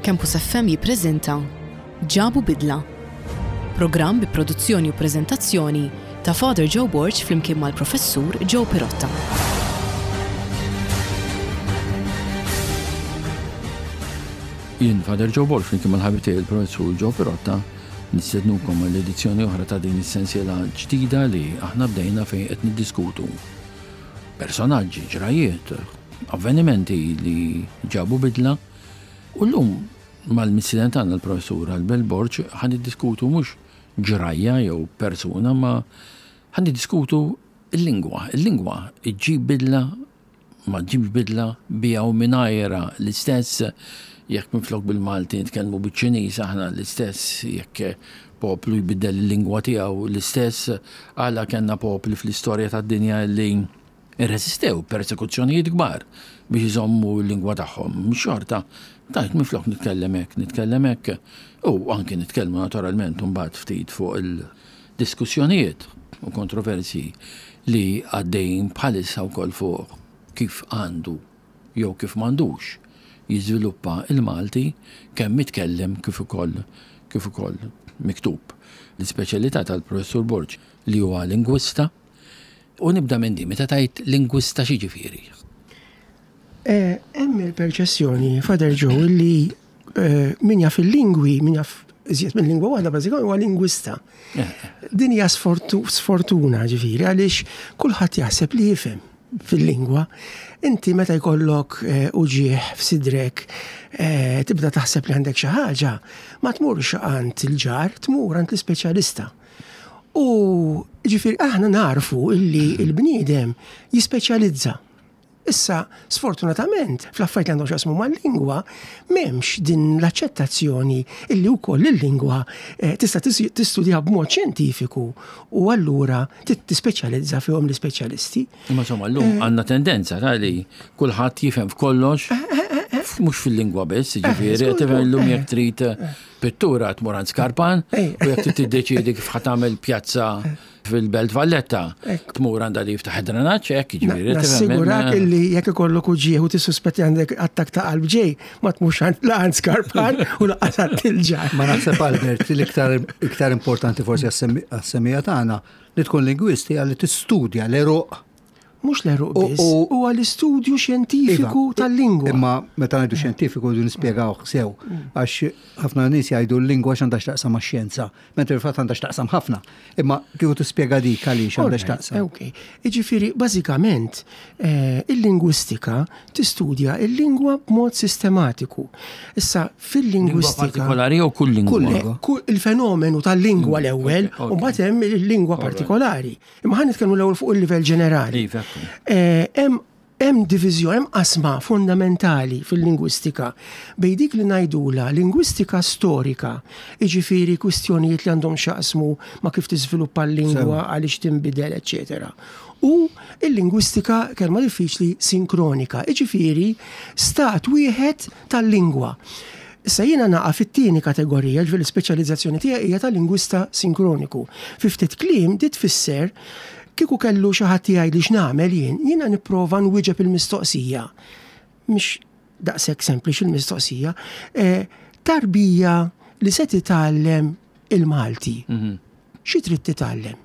Campus FM jippreżenta Ġabu Bidla. Programm bi produzzjoni u preżentazzjoni ta' Father Joe Borg flimkien mal-Professur Joe Pirotta. Jien Father Joe Borg flimkien mal-ħabib tiegħi il-Professur Joe Pirotta nistednukom għall edizzjoni oħra ta' din is-sensiela ġdida li aħna bdejna fejn qed niddiskutu personaġġi, ġrajiet, avvenimenti li ġabu bidla u llum mal-mistieden tagħna l-Professur Albert Borg ħa niddiskutu mhux ġrajja jew persuna ma ħa niddiskutu l-lingwa. Il-lingwa ġġib bidla, ma ġġibx bidla, biha u mingħajrha l-istess, jekk minflok bil-Malti nitkellmu biċ-Ċiniż aħna l-istess, jekk poplu jbiddel il-lingwa tiegħu l-istess, għala kellna popli fl-istorja tad-dinja li Irreżistew persekuzzjonijiet kbar biex iżommu l-lingwa tagħhom. Xorta, tajt minflok nitkellem hekk, nitkellem hekk, u anki nitkellmu naturalment imbagħad ftit fuq il-diskussjonijiet u kontroversji li għaddejjin bħalissa wkoll fuq kif għandu jew kif m'għandux jiżviluppa l-Malti kemm mitkellem kif ukoll kif ukoll miktub. L-ispeċjalità tal-Professur Borg li huwa lingwista, U nibda minn din, meta tgħid lingwista x'jiġifieri? Eh, hemm il-perċessjoni, Father Joe, li eh, min jaf il-lingwi, min jaf iżjed minn lingwa waħda bażikament huwa lingwista. Eh. Din hija sfortuna ġifieri għaliex kulħadd jaħseb li jifhem fil-lingwa. Inti meta jkollok uġigħ f'sidrek tibda taħseb li għandek xi ħaġa, ma tmurx għand il-ġar, tmur għand l-ispeċjalista. U ġifieri aħna narfu illi l-bniedem jispeċjalizza. Issa, sfortunatament, fl-affarijiet li għandhom x'jaqsmu mal-lingwa, m'hemmx din l-aċċettazzjoni illi wkoll il-lingwa eh, tista' tistudja b'mod xjentifiku u allura tispeċjalizza fihom l-ispeċjalisti. Imma insomma, llum eh. għandna tendenza ta' li kulħadd jifhem f'kollox, eh, mhux fil-lingwa biss, ġifieri, tifhem illum jekk trid Pittura tmur għand Skarpan u jekk trid tiddeċiedi kif ħa tagħmel pjazza fil-Belt Valletta, tmur għandha li jiftaħ id-drenaġġ hekk jiġifieri. Nassigurak illi jekk ikollok uġieħ u tissuspetti għandek attak ta' qalb ġej, ma tmurx għand la għand Skarpan u laqas għand il-ġar. Ma naħseb Albert l-iktar iktar importanti forsi għas-semija tagħna li tkun lingwisti għalli tistudja l-eruq Mhux l-għeruq biss, huwa l-istudju xjentifiku iva, tal-lingwa. Imma meta ngħidu xjentifiku rridu nispjegawh sew, mm. għax ħafna nies jgħidu l-lingwa x'għandha x'taqsam max-xjenza, mentri fil-fatt għandha x'taqsam ħafna. Imma kieku tispjega dik għaliex għandha x'taqsam. Ok, jiġifieri bażikament eh, il-lingwistika tistudja il-lingwa b'mod sistematiku. Issa fil-lingwistika. Partikolari jew kull lingwa? Eh, il-fenomenu tal-lingwa mm, l-ewwel, u mbagħad hemm il-lingwa partikolari. Imma ħa nitkellmu l-ewwel fuq il-livell ġenerali. Iva, eh, hemm hemm diviżjoni, hemm qasma fundamentali fil-lingwistika bejn dik li ngħidula lingwistika storika, jiġifieri kwistjonijiet li għandhom x'jaqsmu ma' kif tiżviluppa l-lingwa, għaliex tinbidel, eċetera. U l-lingwistika, kelma diffiċli, sinkronika, jiġifieri stat wieħed tal-lingwa. Issa jiena naqa' fit-tieni kategorija, ġifieri l-ispeċjalizzazzjoni tiegħi hija ta' lingwista sinkroniku. Fi ftit kliem di tfisser kieku kellu xi ħadd jgħidli x'nagħmel jien, jiena nipprova nwieġeb il-mistoqsija. Mhix daqshekk sempliċi l-mistoqsija. Eh, tarbija li se titgħallem il-Malti. Mhm. Xi trid titgħallem?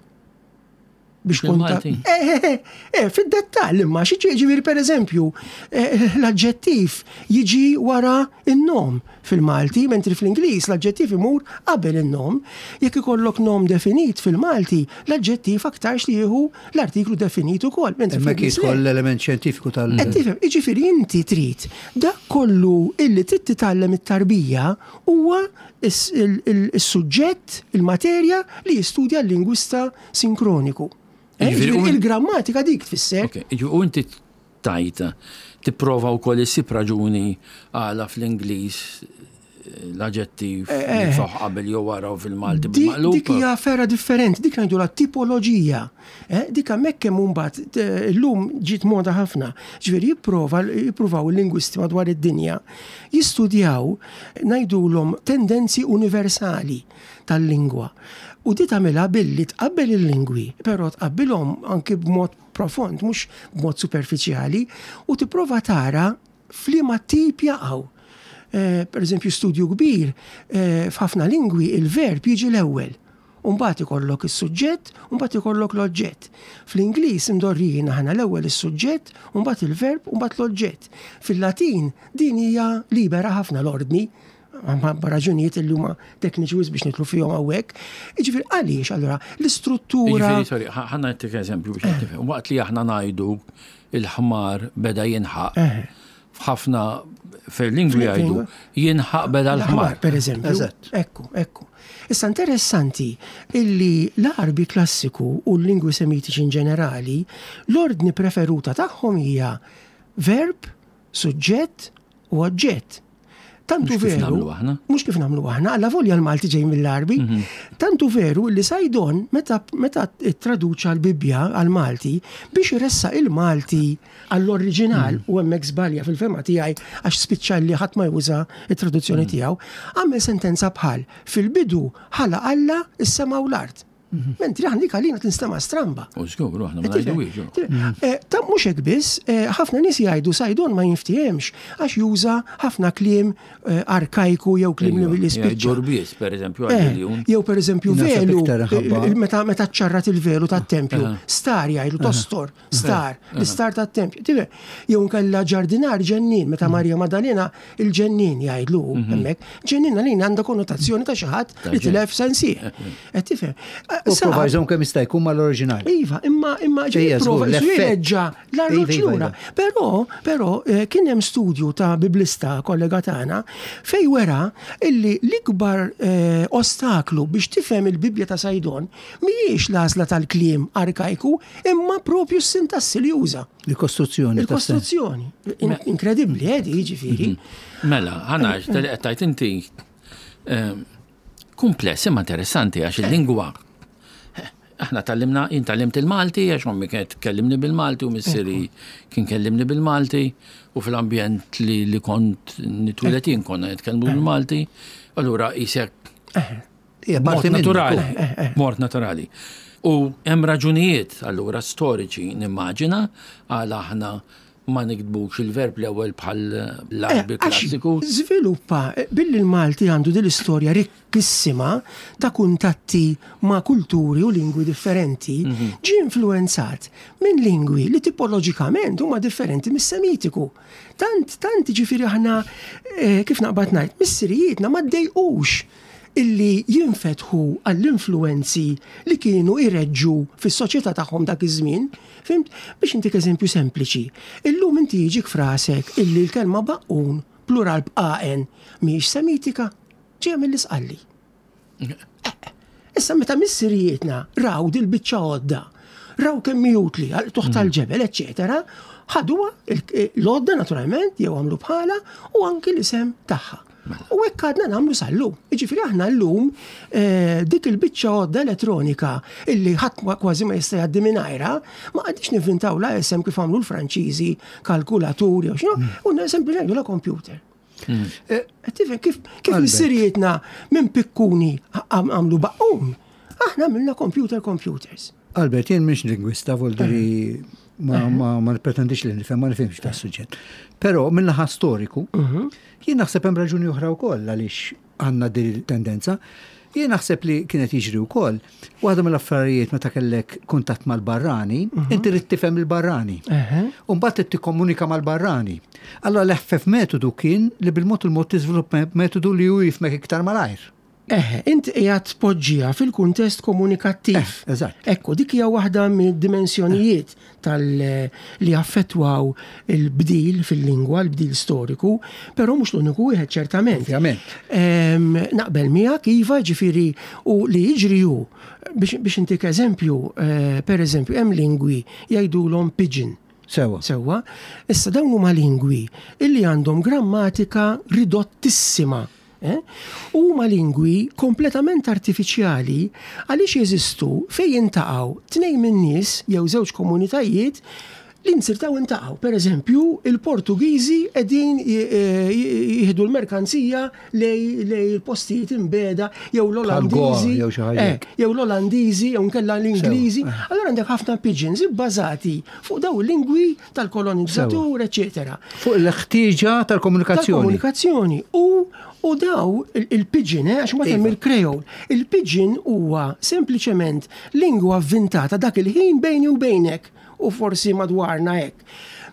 Biex tkun ta' eh, eh, eh, eh, fid-dettall imma xi ġifieri pereżempju eh, l-aġġettiv jiġi wara in-nom fil-Malti, mentri fl-Ingliż l-aġġettiv imur qabel in-nom. Jekk ikollok nom definit fil-Malti, l-aġġettiv aktarx li jieħu l-artiklu definit ukoll. Mentri Hemmhekk fl-Ingliż le. jidħol l-element xjentifiku tal- Qed tifhem, jiġifieri inti trid dak kollu illi trid titgħallem it-tarbija huwa is-suġġett, il-materja li jistudja l-lingwista sinkroniku. Eh, il-grammatika dik tfisser. U inti tajt tipprova wkoll issib raġuni għala fl-Ingliż eh, l-aġettiv eh, eh. faħ qabel jew wara u fil-Malti bil-maqlub. Dik hija ferra differenti, dik ngħidu la tipoloġija. Dik hemmhekk hemm mbagħad illum ġiet moda ħafna. Ġifieri jipprova jippruvaw il-lingwisti madwar id-dinja jistudjaw ngħidulhom tendenzi universali tal-lingwa. U di tagħmilha billi tqabbel il-lingwi, però tqabbilhom anki b'mod profond, mhux b'mod superfiċjali, u tipprova tara f'liema tip jaqgħu. Eh, per eżempju, studju kbir, eh, f'ħafna lingwi il-verb jiġi l-ewwel. U mbagħad ikollok is-suġġett, u mbagħad ikollok l-oġġett. Fl-Ingliż imdorrijin aħna l-ewwel is-suġġett, u mbagħad il-verb, u mbagħad l-oġġett. Fil-Latin din hija libera ħafna l-ordni, minħabba raġunijiet li huma tekniċi wisq biex nidħlu fihom hawnhekk. Jiġifieri għaliex allura l-istruttura. Jiġifieri, sorry, ħa nagħtik eżempju biex tifhem. Waqt li aħna ngħidu il-ħmar beda jinħaq. F'ħafna fil-lingwi jgħidu jinħaq beda l-ħmar. Per eżempju. Ekku, ekku. Issa interessanti illi l-Għarbi klassiku u l-lingwi semitiċi in ġenerali, l-ordni preferuta tagħhom hija verb, suġġett u oġġett. Tantu veru. Mhux kif nagħmlu aħna, alla volja l-Malti ġej mill-Għarbi. Mhm. Tantu veru li Sajdon meta meta traduċa l-Bibbja għal-Malti biex iressaq il-Malti għall-oriġinal mhm. u hemmhekk żbalja fil-fema tiegħi għax spiċċa li ħadd ma juża it-traduzzjoni mhm. tiegħu, għamel sentenza bħal fil-bidu ħala Alla is-sema u l-art. Mhm. Mentri aħna dik għalina tinstema' stramba. U żgur, aħna ma ngħiduhiex. Mhm. Eh, ta' mhux hekk biss, eh, ħafna nies jgħidu sajdon ma jinftihemx għax juża ħafna kliem eh, arkajku jew kliem li spiċċa. Ġurbies, pereżempju, Jew pereżempju velu, meta meta ċarrat il-velu tat-tempju, star jgħidu tostor. Star, l-istar tat-tempju. Tifhem? Jew nkella ġardinar ġennin, meta mhm. Marja Madalena il-ġennin jgħidlu mhm. hemmhekk. Ġennin għalina għandha konnotazzjoni ta' xi ħadd li tilef sensih. Eh, Qed tifhem? Eh, u prova jżomm kemm jista' jkun mal-oriġinal. Iva, imma imma ġej prova jirreġġa l-arloġġ iva, iva, lura. Iva. Però, però eh, kien hemm studju ta' biblista kollega tagħna fej wera illi l-ikbar ostaklu biex tifhem il-Bibbja ta' Sajdon mhijiex l-għażla tal-kliem arkajku Imma propju s-sintassi li juża. Il-kostruzzjoni. Il-kostruzzjoni. Inkredibbli, eh, jiġifieri. Mhm. Mela, ħana, qed tajt inti ehm, kumpless imma interessanti għax il-lingwa eh, aħna tallimna, jien tallimt il-Malti għax ommi kienet tkellimni bil-Malti u missieri kien kellimni bil-Malti u fil-ambjent li, li kont nitwilet jien konna nitkellmu bil-Malti. Allura isek Mort naturali. Eh, eh, eh. Mort naturali. U hemm raġunijiet allura storiċi nimmaġina għal aħna ma nikdbux il-verb l-ewwel bħal l-Arbi klassiku. Żviluppa billi l-Malti għandu din l-istorja rikkissima ta' kuntatti ma' kulturi u lingwi differenti, mhm. ġie influenzat minn lingwi li tipoloġikament huma differenti mis-Semitiku. Tant, tant ġifieri aħna kif naqbad ngħid, missirijietna ma ddejqux illi jinfetħu għall-influwenzi li kienu jreġġu fis-soċjetà tagħhom dak iż-żmien. Fhimt? Biex intik eżempju sempliċi. Illum inti jiġik f'rasek illi l-kelma baqqun, plural b'AN, mhijiex Semitika, ġejja mill-Isqalli. Issa meta missirijietna raw dil-biċċa għodda, raw kemm hi utli għal tuħ tal-ġebel, eċċetera, ħaduha l-għodda naturalment jew għamlu bħala u anki l-isem tagħha. Mela. U hekk għadna nagħmlu sal-lum. Jiġifieri aħna llum eh, dik il-biċċa għodda elettronika illi ħadd kważi ma jista' jgħaddi mingħajrha, ma qgħadix nivvintaw la isem kif għamlu l-Franċiżi, kalkulatur jew x'inhu, mm. u sempliċi ngħidu la computer. Mm. Eh, tifhem kif kif missirietna minn pikkuni għamlu baqqum, aħna għamilna computer computers. Albert, jien mhix lingwista, voldiri ma, ma, ma pretendix li nifhem, ma nifhimx ta' suġġett. Però mill-naħa storiku, mhm. jien naħseb hemm raġuni oħra wkoll għaliex għandna din tendenza. Jien naħseb li kienet jiġri wkoll, waħda mill-affarijiet meta kellek kuntatt mal-barrani, mhm. inti trid tifhem il-barrani. U mbagħad trid tikkomunika mal-barrani. Allora l-eħfef metodu kien li bil-mod il-mod tiżviluppa metodu li hu jifmek iktar malajr. Eħe, int qiegħed tpoġġiha fil-kuntest komunikattiv. Eh, eżatt. Ekku, dik hija waħda mid-dimensjonijiet tal li affettwaw il-bdil fil-lingwa, l-bdil storiku, però mhux l-uniku wieħed ċertament. Ovvjament. Ehm, naqbel miegħek iva, ġifieri u li jiġri hu biex intik eżempju, eh, per eżempju, hemm lingwi jgħidulhom pidgin. Sewa. Sewa. Issa dawn huma lingwi illi għandhom grammatika ridottissima. Eh? U huma lingwi kompletament artifiċjali għaliex jeżistu fejn jintaqgħu tnejn min-nies jew żewġ komunitajiet. Li nzirtaw intaqgħu. Per eżempju, il-Portugiżi qegħdin jieħdu l-merkanzija lej il-postijiet imbegħda jew l-Olandiżi. Jew l-Olandiżi jew nkella l-Ingliżi. Allura għandek ħafna pidgins ibbażati fuq daw il-lingwi tal-kolonizzatur, eċetera. Fuq il-ħtieġa tal-komunikazzjoni. Tal-komunikazzjoni. U u daw il-pidgin, għax ma hemm il-Creole. Il-pidgin huwa sempliċement lingwa vvintata dak il-ħin bejni u bejnek. u forsi madwarna hekk.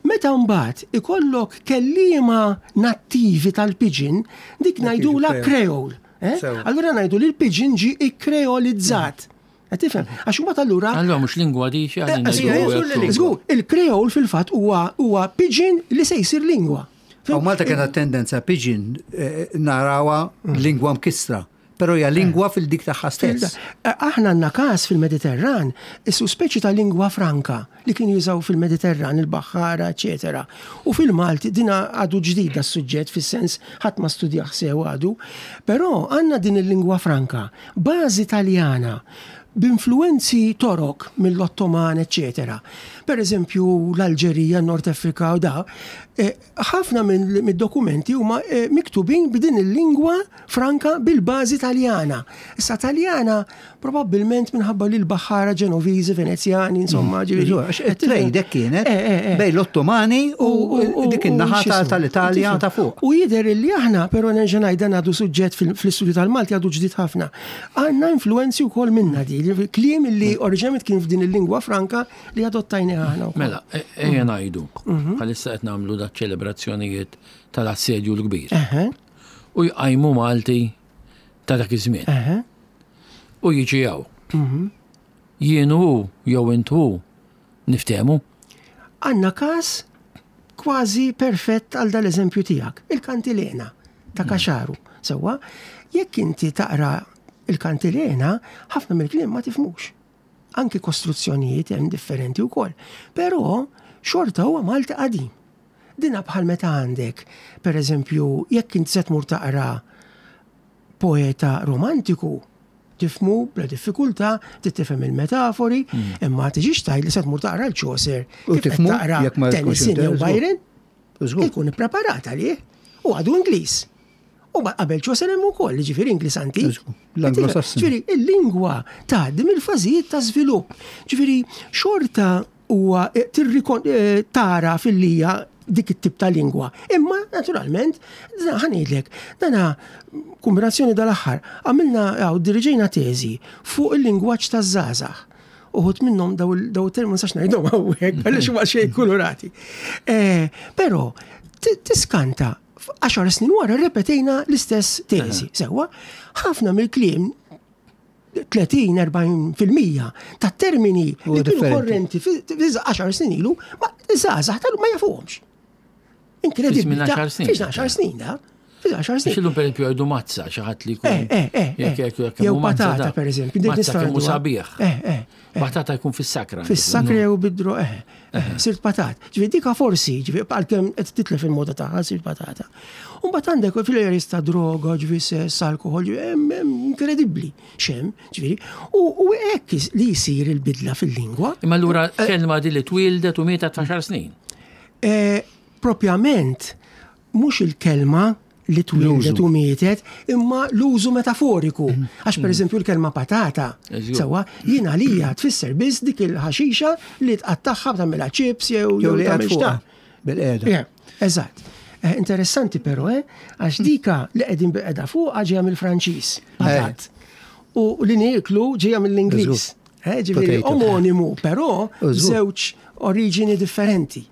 Meta mbagħad ikollok kelliema nattivi tal-pidgin, dik ngħidulha creole. Eh? Allura ngħidu li l-pidgin ġie ikkreolizzat. Qed tifhem? Għax imbagħad allura. Allura mhux lingwa di xi eh, Żgur, il-creole fil-fatt huwa huwa pidgin li se jsir lingwa. U Malta kena tendenza pidgin eh, narawha mm. lingwa mkissra. Però hija lingwa fil-dik tagħha stess. Aħna għandna każ fil-Mediterran, issu speċi ta' lingwa franka li kienu jużaw fil-Mediterran, il-baħħara, eċetera. U fil-Malti din għadu ġdid das-suġġett fis-sens ħadd ma studjah sew għadu, però għandna din il-lingwa franka, bażi Taljana, b'influwenzi Torok mill-Ottoman, eċetera. Per eżempju, l-Alġerija, n-Nord Afrika u da, Ħafna mid-dokumenti huma miktubin b'din il-lingwa franka bil-bażi Taljana. Issa Taljana probabbilment minħabba li l-baħħara Ġenoviżi, Venezjani, insomma, mm. ġifieri. Għax it-trade hekk kienet eh, eh, eh. bejn l-Ottomani u dik in-naħa tal-Italja ta' fuq. U jidher li aħna, però nerġa' ngħid dan għadu suġġett fl-istudju tal-Malti għadu ġdid ħafna. Għandna influenzi wkoll minna di, kliem li mm. oriġinament kien f'din il-lingwa franka li adottajni aħna. Mela, e, ejja ngħidu, mhm. bħalissa qed nagħmlu da ċelebrazzjonijiet tal-assedju l-kbir. U jqajmu Malti ta' dak iż-żmien. U jiġi hawn. Mhm. Jien hu jew int hu niftehmu. Għandna każ kważi perfett għal dal-eżempju tiegħek, il-kantilena ta' mm. Kaxaru. Sewwa, jekk inti taqra il-kantilena, ħafna mill-kliem ma tifmux. Anki kostruzzjonijiet hemm differenti wkoll. Però xorta huwa Malti qadim. Dina bħal meta għandek, per eżempju, jekk int se tmur taqra poeta romantiku, tifmu bla diffikultà, trid tifhem il-metafori, mm. imma tiġix tgħid li se tmur taqra l-Chaucer, u tifmu taqra Tennyson jew Byron, ikun ippreparat għalih u għadu Ingliż. U qabel Chaucer hemm ukoll, ġifieri Ingliż antik. L-Anglo-Sasson. Ġifieri il-lingwa tgħaddi mill-fażijiet ta' żvilupp. Ġifieri xorta huwa eh, eh, tara fil-lija dik it-tip ta' lingwa. Imma, naturalment, ħanidlek, dana kombinazzjoni dal-aħħar, għamilna għaw diriġejna teżi fuq il-lingwaġġ taż-żgħażagħ. Uħut minnhom daw il-termini ma nistax ngħidhom hawnhekk għaliex huma xejn kulurati. Eh, però tiskanta Għaxar snin wara rrepetejna l-istess teżi. Sewwa, ħafna mill-kliem 30-40% ta' termini li kienu korrenti fi 10 snin ilu, ma żgħażagħ tal ma jafuhomx. Inkredibbli. Fi 10 snin, da. Fi 10 snin. Xillu per esempio għajdu mazza, xi ħadd li jkun. Eh, eh, eh. Jew patata per eżempju. Mazza kemm sabiħ. Eh, eh. Patata jkun fis-sakra. Fis-sakra jew bidro, eh, eh, sirt patat. Ġifieri dika forsi, ġifieri għalkemm qed titlef il-moda tagħha sirt patata. U mbagħad għandek fil-areas ta' droga, ġifieri sess, alkohol, ġifieri inkredibbli xem, ġifieri. U hekk li jsir il-bidla fil-lingwa. Imma allura eh, kelma di li twildet u mietet għaxar snin. Eh, propjament, mhux il-kelma li twildet u mietet, imma l-użu metaforiku. Mm. Għax per mm. eżempju l-kelma patata, sewwa, jien għalija tfisser biss dik il-ħaxixa li tqattagħha tagħmilha chips jew jew li tagħmel xta. Bil-qiegħda. Eżatt. Eh, interessanti però, eh, għax dika li qegħdin bil-qiegħda fuq ġejja mill-Franċiż, eh. patat. U li nieklu ġejja mill-Ingliż. Eh, ġifieri omonimu, però żewġ oriġini differenti.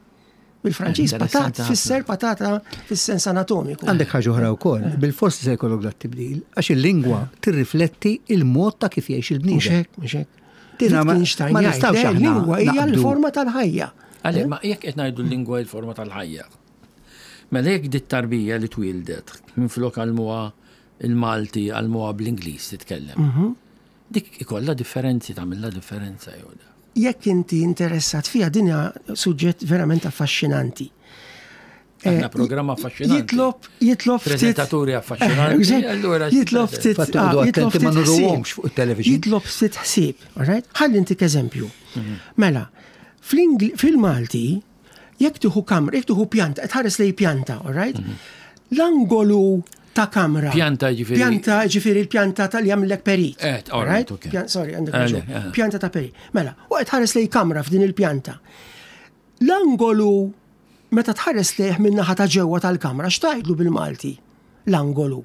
Bil-Franċiż patat tfisser patata fis-sens anatomiku. Għandek ħaġa oħra wkoll, bil-forsi se jkollok dat tibdil, għax il-lingwa tirrifletti il-mod ta' kif jgħix il-bniedem. Mhux hekk, mhux hekk. Dina ma nistgħux aħna. Lingwa hija l-forma tal-ħajja. Għalhekk ma jekk qed ngħidu l-lingwa l-forma tal-ħajja. Mela jekk dit tarbija li twildet minflok għalmuha il-Malti għalmuha bl-Ingliż titkellem. Mhm. Dik ikollha differenzi tagħmilha differenza jew le? Jekk inti interessat fiha din hija suġġett verament affaxxinanti. Għandna eh, programm affaxxinanti. Jitlob, jitlob ftit. Prezentaturi affaxxinanti. Allura jitlob ftit. Ah, jitlob ftit ma nuruhomx fuq it-television. Jitlob ftit ħsieb, alright? Ħalli ntik eżempju. Mhm. Mela, Fil-Malti, jekk tieħu kamra, jekk tieħu pjanta, qed tħares lejn pjanta, all right? Mhm. L-angolu ta' kamra. Pjanta ġifieri. Pjanta ġifieri l-pjanta tal jagħmlek perit. Eh, all right, okay. Sorry, għandek eh, eh. Pjanta ta' perit. Mela, u qed tħares lejn kamra f'din il-pjanta. L-angolu meta tħares lejh min-naħa ta' ġewwa tal-kamra, x'tgħidlu bil-Malti? L-angolu.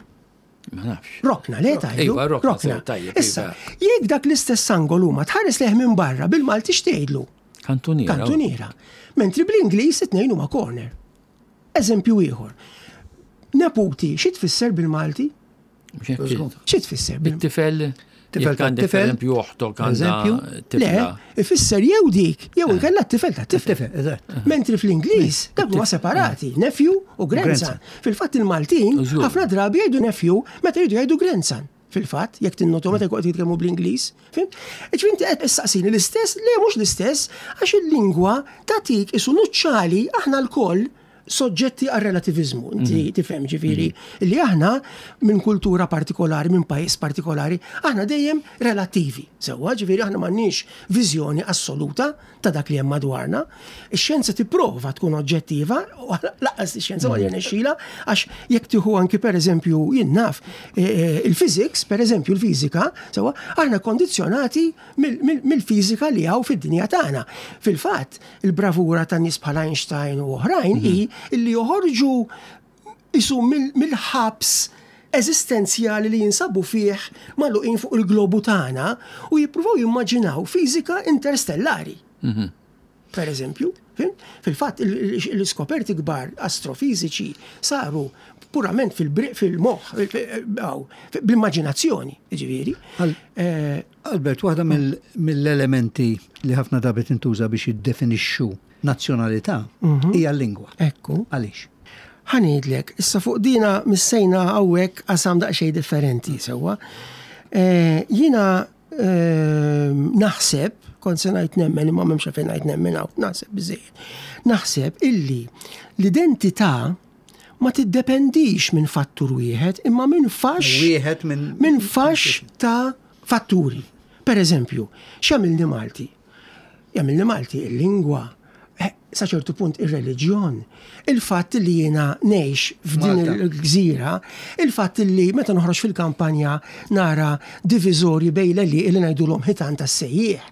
Ma nafx. Rokna, le tgħidu? Iva, rokna. Tajjeb. Issa, iva. jekk dak l-istess angolu ma tħares lejh minn barra bil-Malti x'tgħidlu? Kantuniera. Kantuniera. Mentri bl-Ingliż it-tnejn huma corner. Eżempju ieħor. Neputi, xi tfisser bil-Malti? Xi tfisser? Bit-tifel Tifel ta' tifel. Eżempju oħtok Eżempju. Le, ifisser jew dik, jew eh. inkella t-tifel ta' tifel. Tifel, eżatt. Mentri fl-Ingliż, dak huma separati, nephew u grandson. Fil-fatt il-Maltin, ħafna drabi jgħidu nephew meta jgħidu jgħidu grandson. Fil-fatt, jekk tinnotu meta jkun qed jitkellmu bl-Ingliż. Fhimt? Ġifieri inti qed issaqsini l-istess, le mhux l-istess, għax il-lingwa tagħtik isu nuċċali aħna lkoll soġġetti għal relativiżmu, inti mhm. tifhem ġifieri mhm. li aħna minn kultura partikolari, minn pajjiż partikolari, aħna dejjem relattivi. Sewwa, ġifieri aħna m'għandniex viżjoni assoluta ta' dak li hemm madwarna. Ix-xjenza tipprova tkun oġġettiva, u laqqas ix-xjenza ma mhm. jirnexxila, għax jekk tieħu anki pereżempju jien naf e, e, il-physics, pereżempju l-fiżika, sewwa, aħna kondizzjonati mill-fiżika li hawn fid-dinja tagħna. Fil-fatt, Il-bravura ta' nies bħal Einstein u oħrajn hi mhm. li joħorġu isu mill-ħabs eżistenzjali li jinsabu fih magħluqin fuq il-globu tagħna u jippruvaw jimmaġinaw fiżika interstellari. Mhm. Per eżempju, fil-fatt l-iskoperti kbar astrofiżiċi saru purament fil-moħħ, bl-immaġinazzjoni, ġifieri. Eh, Albert, waħda mill-elementi li ħafna drabi tintuża biex jiddefinixxu nazzjonalità mhm. hija l-lingwa. Ekku. Għaliex? Ħa ngħidlek, issa fuq dina missejna hawnhekk qasam daqsxejn differenti sewwa. Eh, jiena eh, naħseb, kont se ngħid nemmen imma m'hemmx fejn ngħid nemmen hawn, naħseb biżejjed. Naħseb illi l-identità ma tiddependix minn fattur wieħed imma minn faxx wieħed minn minn faxx ta' fatturi. Per eżempju, x'jagħmilni Malti? Jagħmilni Malti il-lingwa, eh, sa ċertu punt ir-reliġjon, il-fatt li jiena ngħix f'din il-gżira, il-fatt li meta noħroġ fil-kampanja nara diviżorji bejn l-għelieqi li ngħidulhom ħitan tas-sejjieħ,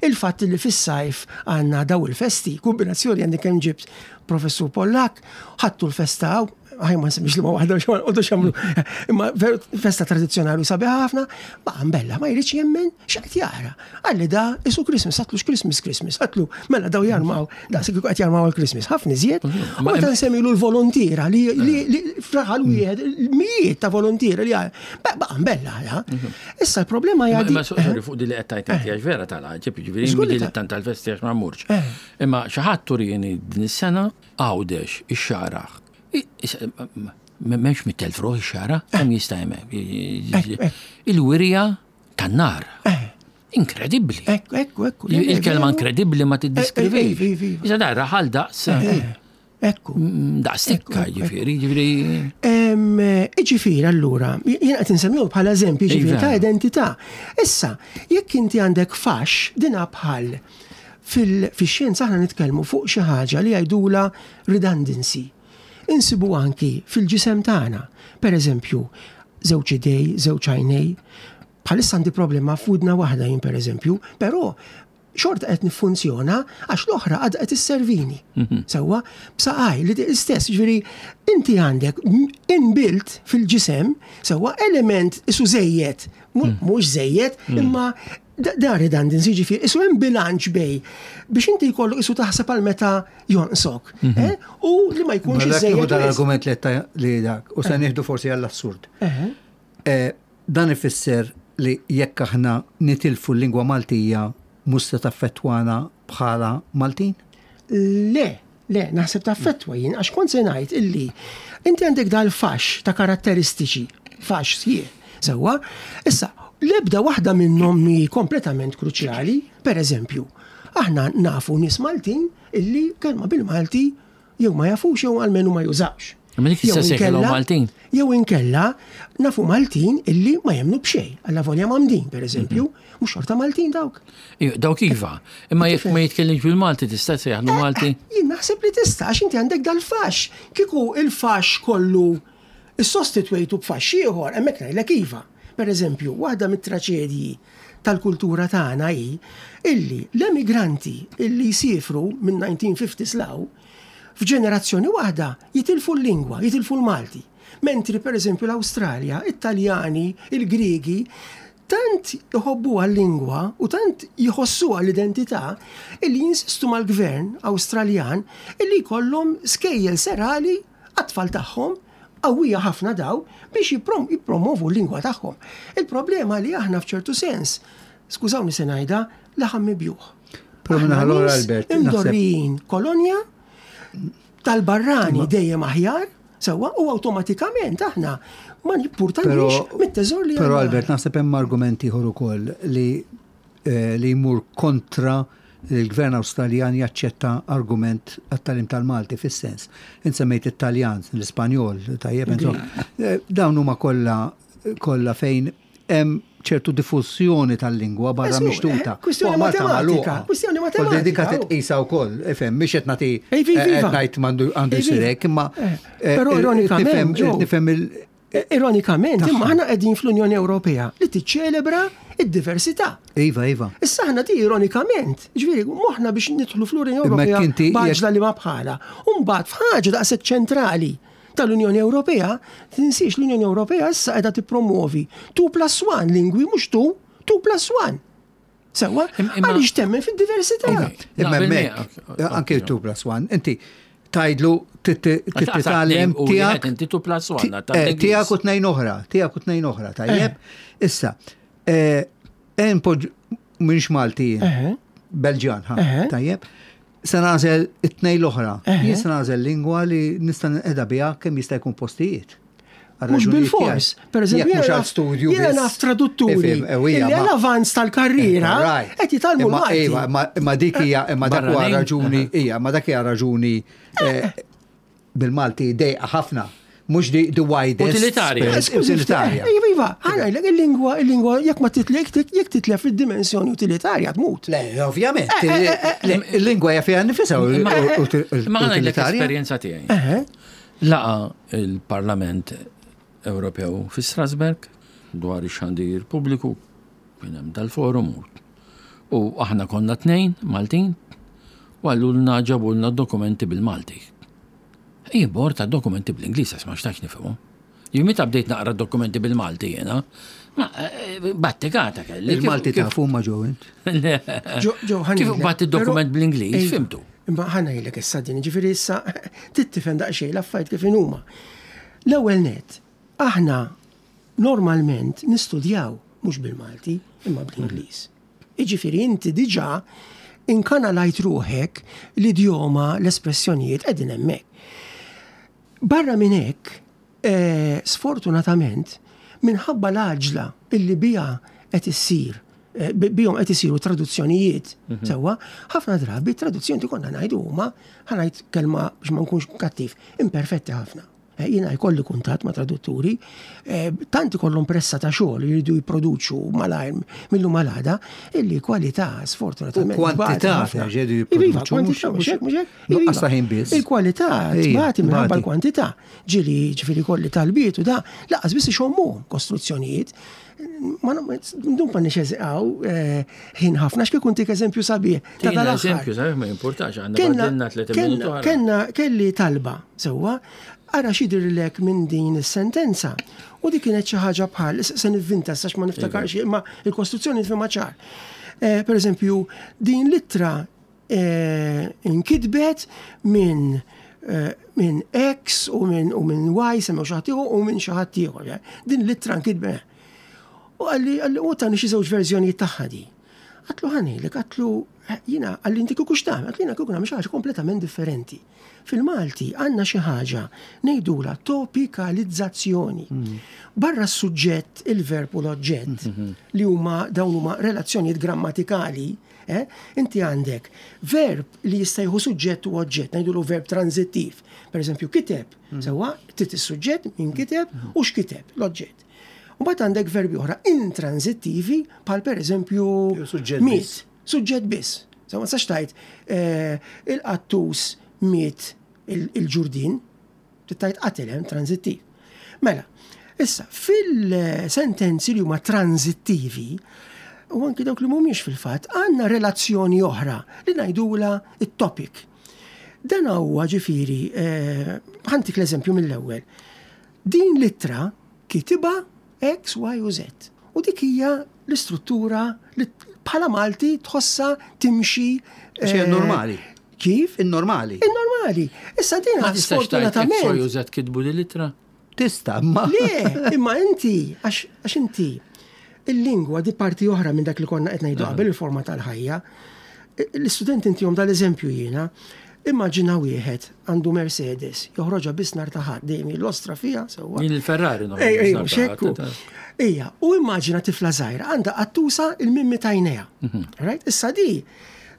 il-fatt li fis-sajf għandna daw il-festi, kombinazzjoni għandi kemm ġibt professur Pollak, ħadtu l-festa hawn, ħaj ma nsemmix li ma waħda xi ma xamlu, imma festa tradizzjonali u sabiħa ħafna, ma bella ma jridx jemmen x'qed jara. Qalli da isu Christmas, għatlu x'Christmas Christmas, għatlu mela daw jarmaw, daqs kieku qed jarmaw għal-Christmas, ħafna iżjed. U meta nsemmilu l-volontiera li fraħal wieħed, mijiet ta' volontiera li baqa' bella. Issa l-problema hija. Ma sorry fuq di li qed tgħid inti għax vera tal-għaġeb, jiġifieri tant tal-festi għax ma mmurx. Imma xi ħadd turini din is-sena Għawdex, ix-xagħra. M'hemmx mit-telf ruħ ix-xagħra, kemm jista' hemm. Il-wirja tan-nar. Inkredibbli. Ekku, ekku. Il-kelma inkredibbli ma tiddeskrivi. Iżda dar raħal daqs. Ekku. Daqs tikka, ġifieri, ġifieri. Ġifieri allura, jien qed insemmihom bħala eżempji ġifieri ta' identità. Issa, jekk inti għandek fax, dina bħal Fix-xjenza aħna nitkellmu fuq xi ħaġa li jgħidulha redundancy. Insibu anki fil-ġisem tagħna. Per eżempju, żewġ idej, żewġ għajnej. Bħalissa għandi problema f'widna waħda jien per eżempju, però xorta qed niffunzjona għax l-oħra għadha qed isservini. Mhm. Sewwa, b'saqaj li l-istess, ġifieri inti għandek inbuilt fil-ġisem sewwa element isu żejjed, mm. mhux żejjed, mm. imma Da redundancy ġifieri, isu hemm bilanċ bej biex inti jkollok isu taħseb għal meta jonqsok. Mhm. Eh? U li ma jkunx iżejjed. Dan l-argument li li dak, u se eh. nieħdu forsi għall-assurd. Eh, dan ifisser li jekk aħna nitilfu l-lingwa Maltija mhux se taffettwana bħala Maltin? Le, Le, naħseb taffettwa jien, għax kont se ngħid illi inti għandek dal-faxx ta' karatteristiċi, faxx sħiħ, sewwa. Issa, l-ebda waħda minnhom mhi kompletament kruċjali, per eżempju, aħna nafu nies Maltin illi kelma bil-Malti jew ma jafux jew almenu ma jużawx. Imma dik tista' ssejħilhom Maltin. Jew inkella nafu Maltin illi ma jemmnu b'xejn, allavolja mgħammdin, pereżempju, mhm. mhux xorta Maltin dawk. Dawk iva, imma jekk ma jitkellimx bil-Malti tista' tsejjaħlu eh, Malti? Eh, jien naħseb li tista' għax inti għandek dal-fax. Kieku il-fax kollu issostitwejtu b'fax ieħor, hemmhekk ngħidlek iva. Per eżempju, waħda mit-traċedji tal-kultura tagħna hi illi l-emigranti illi jsifru minn 1950 slaw F'ġenerazzjoni waħda jitilfu l-lingwa, jitilfu l-Malti. Mentri pereżempju l-Awstralja, it-Taljani, il-Griegi, tant iħobbuha l-lingwa u tant jħossuha l-identità illi jinsistu mal-gvern Awstraljan illi jkollhom skejjel serali għat-tfal tagħhom qawwija ħafna daw biex jippromovu l-lingwa tagħhom. Il-problema li aħna f'ċertu sens, skużawni se ngħidha, laħam mibjugħ. Però minna ħalora Albert. Imdorrijin kolonja tal-barrani dejjem aħjar, sewwa u awtomatikament aħna ma nippurtanix mit-teżor li Però Albert naħseb hemm argument ieħor ukoll li eh, li jmur kontra li l-gvern Awstraljan jaċċetta argument għat-tagħlim tal-Malti fis-sens. Int semmejt it-Taljan, l-Ispanjol, tajjeb, eh, dawn huma kollha kollha fejn hemm ċertu diffużjoni tal-lingwa barra mixtuta. Eh, kwistjoni matematika. Kwistjoni matematika. Dika titqisa wkoll, ifhem, mhix qed nagħti qed ngħid m'għandu għandu jsir hekk, imma eh, Però ironikament, nifhem il Ironikament, imma aħna qegħdin fl-Unjoni Ewropea li tiċċelebra id-diversità. Iva, iva. Issa aħna di ironikament, ġifieri moħħna biex nidħlu fl-Unjoni Ewropea b'għaġla li ma bħala. U mbagħad f'ħaġa daqshekk ċentrali tal-Unjoni Ewropea, tinsiex l-Unjoni Ewropea issa qiegħda tippromuovi 2 plus 1 lingwi mhux 2, 2 plus 1. Sewwa, għaliex temmen fid-diversità. Imma hemmhekk, anke 2 plus 1, inti tajdlu titgħallem tiegħek. Inti 2 plus 1. Eh, tiegħek u tnejn oħra, tiegħek u tnejn oħra, tajjeb. Eh. Issa, eh, poġ minx Malti, Belġjan, tajjeb. Se nagħżel it-tnejn l-oħra. Jien se nagħżel lingwa li nista' nqeda biha kemm jista' jkun postijiet. Mhux bil-fors. Per eżempju, mhux għal studju. Jiena naf tradutturi. Li għal avanz tal-karriera qed jitgħallmu Malti. Imma dik hija imma dak huwa raġuni hija, imma dak hija raġuni eh, bil-Malti dejqa ħafna. Mhux di the widest. Utilitarja. Utilitarja. Iva, iva, ħana il-lingwa, il-lingwa, jekk ma titlek, jekk titlef id-dimensjoni utilitarja tmut. Le, ovvjament. Eh, eh, eh, il-lingwa hija fiha nifisha Ma ħana l-esperjenza tiegħi. Laqa il-Parlament Ewropew fi Strasberg dwar ix-xandir pubbliku kien hemm dal-forum u aħna konna tnejn Maltin u għallulna ġabulna dokumenti bil-Malti. Jien bord ta' dokumenti bl-Ingliż għax ma xtaqx nifhimhom. Jien meta bdejt naqra dokumenti bil-Malti jiena, ma eh, battikata kelli. Il-Malti tafu ma ġew int. Kif bat id-dokument bl-Ingliż, fimtu. Imma ħa ngħidlek issa din, ġifieri issa tittifhem daqsxejn l-affarijiet kif inhuma. L-ewwel nett, aħna normalment nistudjaw mhux bil-Malti imma bl-Ingliż. Jiġifieri inti diġà inkanalajt ruħek l-idjoma, l-espressjonijiet qegħdin hemmhekk. Barra minn hekk, eh, sfortunatament, minħabba l-għaġla illi biha qed issir eh, bihom qed isiru traduzzjonijiet mhm. sewwa, ħafna drabi traduzzjoni konna ngħidu huma ħanajt kelma biex ma nkunx kattiv, imperfetti ħafna. Eh, jiena jkolli kuntatt ma' tradutturi, eh, tant ikollhom pressa ta' xogħol li jridu jipproduċu malajr millu malada, illi kwalità sfortunatament. Kwantità jridu jipproduċu. Nuqqas ta' ħin biss. Il-kwalità tbati minħabba l-kwantità. Ġieli ġifieri kolli talbiet u da, laqas biss ixommu kostruzzjonijiet. Ma ndum ma nixeżiqaw eh, ħin ħafna x'kieku ntik eżempju sabiħ. Ta' eżempju sabiħ ma jimpurtax għandna 30 minuti. Kenna kelli talba sewwa ara x'jidhirlek minn din is-sentenza. U dik kienet xi ħaġa bħal, se nivvinta sax ma niftakarx imma il-kostruzzjoni nifhimha ċar. Eh, per eżempju, din l-ittra eh, inkitbet minn eh, minn X u minn u minn Y semmew xi ħadd u minn xi ħadd ieħor. Din l-ittra nkitbet. U għalli għalli u tani xi żewġ verżjonijiet tagħha di. Għatlu ħanilek, għatlu Jiena qalli inti kieku x'tagħmel? Għedt jiena kieku nagħmel xi ħaġa kompletament differenti. Fil-Malti għandna xi ħaġa ngħidulha topikalizzazzjoni. Barra s-suġġett, il-verb u l-oġġett li huma dawn huma relazzjonijiet grammatikali, eh, inti għandek verb li jista' jieħu suġġett u oġġett, ngħidulu verb transittiv. Per eżempju, kiteb, sewwa, trid is-suġġett min kiteb u x'kiteb, l-oġġett. U mbagħad għandek verbi oħra intransittivi bħal pereżempju miet, suġġett biss. Sa ma tistax tgħid eh, il-qattus miet il-ġurdin, tgħid qatel hemm transittiv. Mela, issa fil-sentenzi li huma transittivi, u anki dawk li mhumiex fil-fatt, għandna relazzjoni oħra li ngħidula it-topic. Dan huwa ġifieri, eh, ħantik l-eżempju mill-ewwel. Din l-ittra kitibha X, Y u Z. U dik hija l-istruttura li bħala Malti tħossha timxi. Xi eh, normali. Kif? In-normali. In-normali. Issa din sfortunatament. X, Y u Z kitbu din l-ittra? Tista, ma. Le, imma inti, għax inti, il-lingwa di parti oħra minn dak li konna qed ngħidu qabel il-forma tal-ħajja. L-istudenti intihom dal-eżempju jiena. Immaġina wieħed għandu Mercedes, joħroġha biss nhar ta' Ħadd, dejjem jillostra fiha sewwa. Jien il-Ferrari noħroġ. Ej, ej, mhux hekk hu. Ejja, u immaġina tifla żgħira għandha qattusa il-mimmi t'għajnejha. Right? Issa di,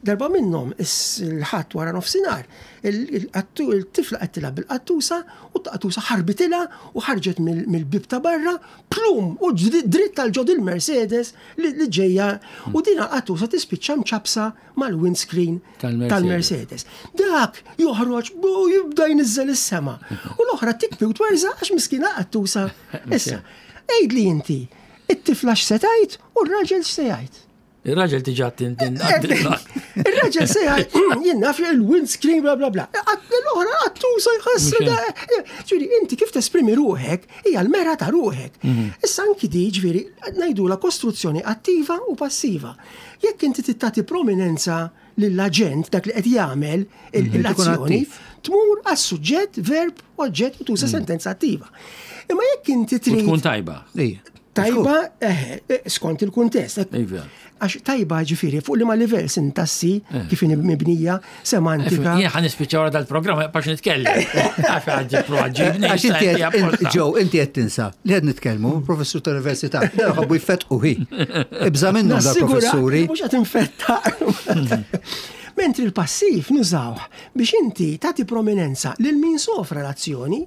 darba minnhom il-Ħadd wara nofsinhar, il-tifla qed tilgħab bil-qattusa u t-qattusa ħarbitilha u ħarġet mill-bieb ta' barra plum u dritt għal ġod il-Mercedes li ġejja u din qattusa tispiċċa mċappsa mal-windscreen tal-Mercedes. Dak joħroġ u jibda jniżżel is-sema. U l-oħra tikbi u twerża għax miskina qattusa. Issa, għidli inti, it-tifla x'se tgħid u r-raġel x'se jgħid. Ir-raġel diġà tintin. Ir-raġel se jgħid, jien naf il-windscreen bla bla bla. L-oħra qattusa jħassu. Ġifieri inti kif tesprimi ruħek hija l-mera ta' ruħek. Mhm. Issa anki di ġifieri ngħidula kostruzzjoni attiva u passiva. Jekk inti trid tagħti prominenza lill-aġent dak li qed jagħmel mhm. l-azzjoni, tmur għas-suġġett, verb, oġġett u tuża mm. sentenza attiva. Imma jekk inti trid. Tkun tajba. Tajba, eh, eh, skont il-kuntest. Iva. Għax tajba ġifiri, fuq li ma livell sintassi, eh. kif mibnija, semantika. Jien ħan nispiċċa wara dal-programm, għax nitkellem. Għax għadġi proġibni. Għax inti ġew, inti qed tinsa li qed nitkellmu, professur tal-università, ħabbu jfettqu hi. Ibża minnhom dal-professuri. Mhux qed infetta. Mentri l-passiv nużawh biex inti tagħti prominenza lil min sofra l-azzjoni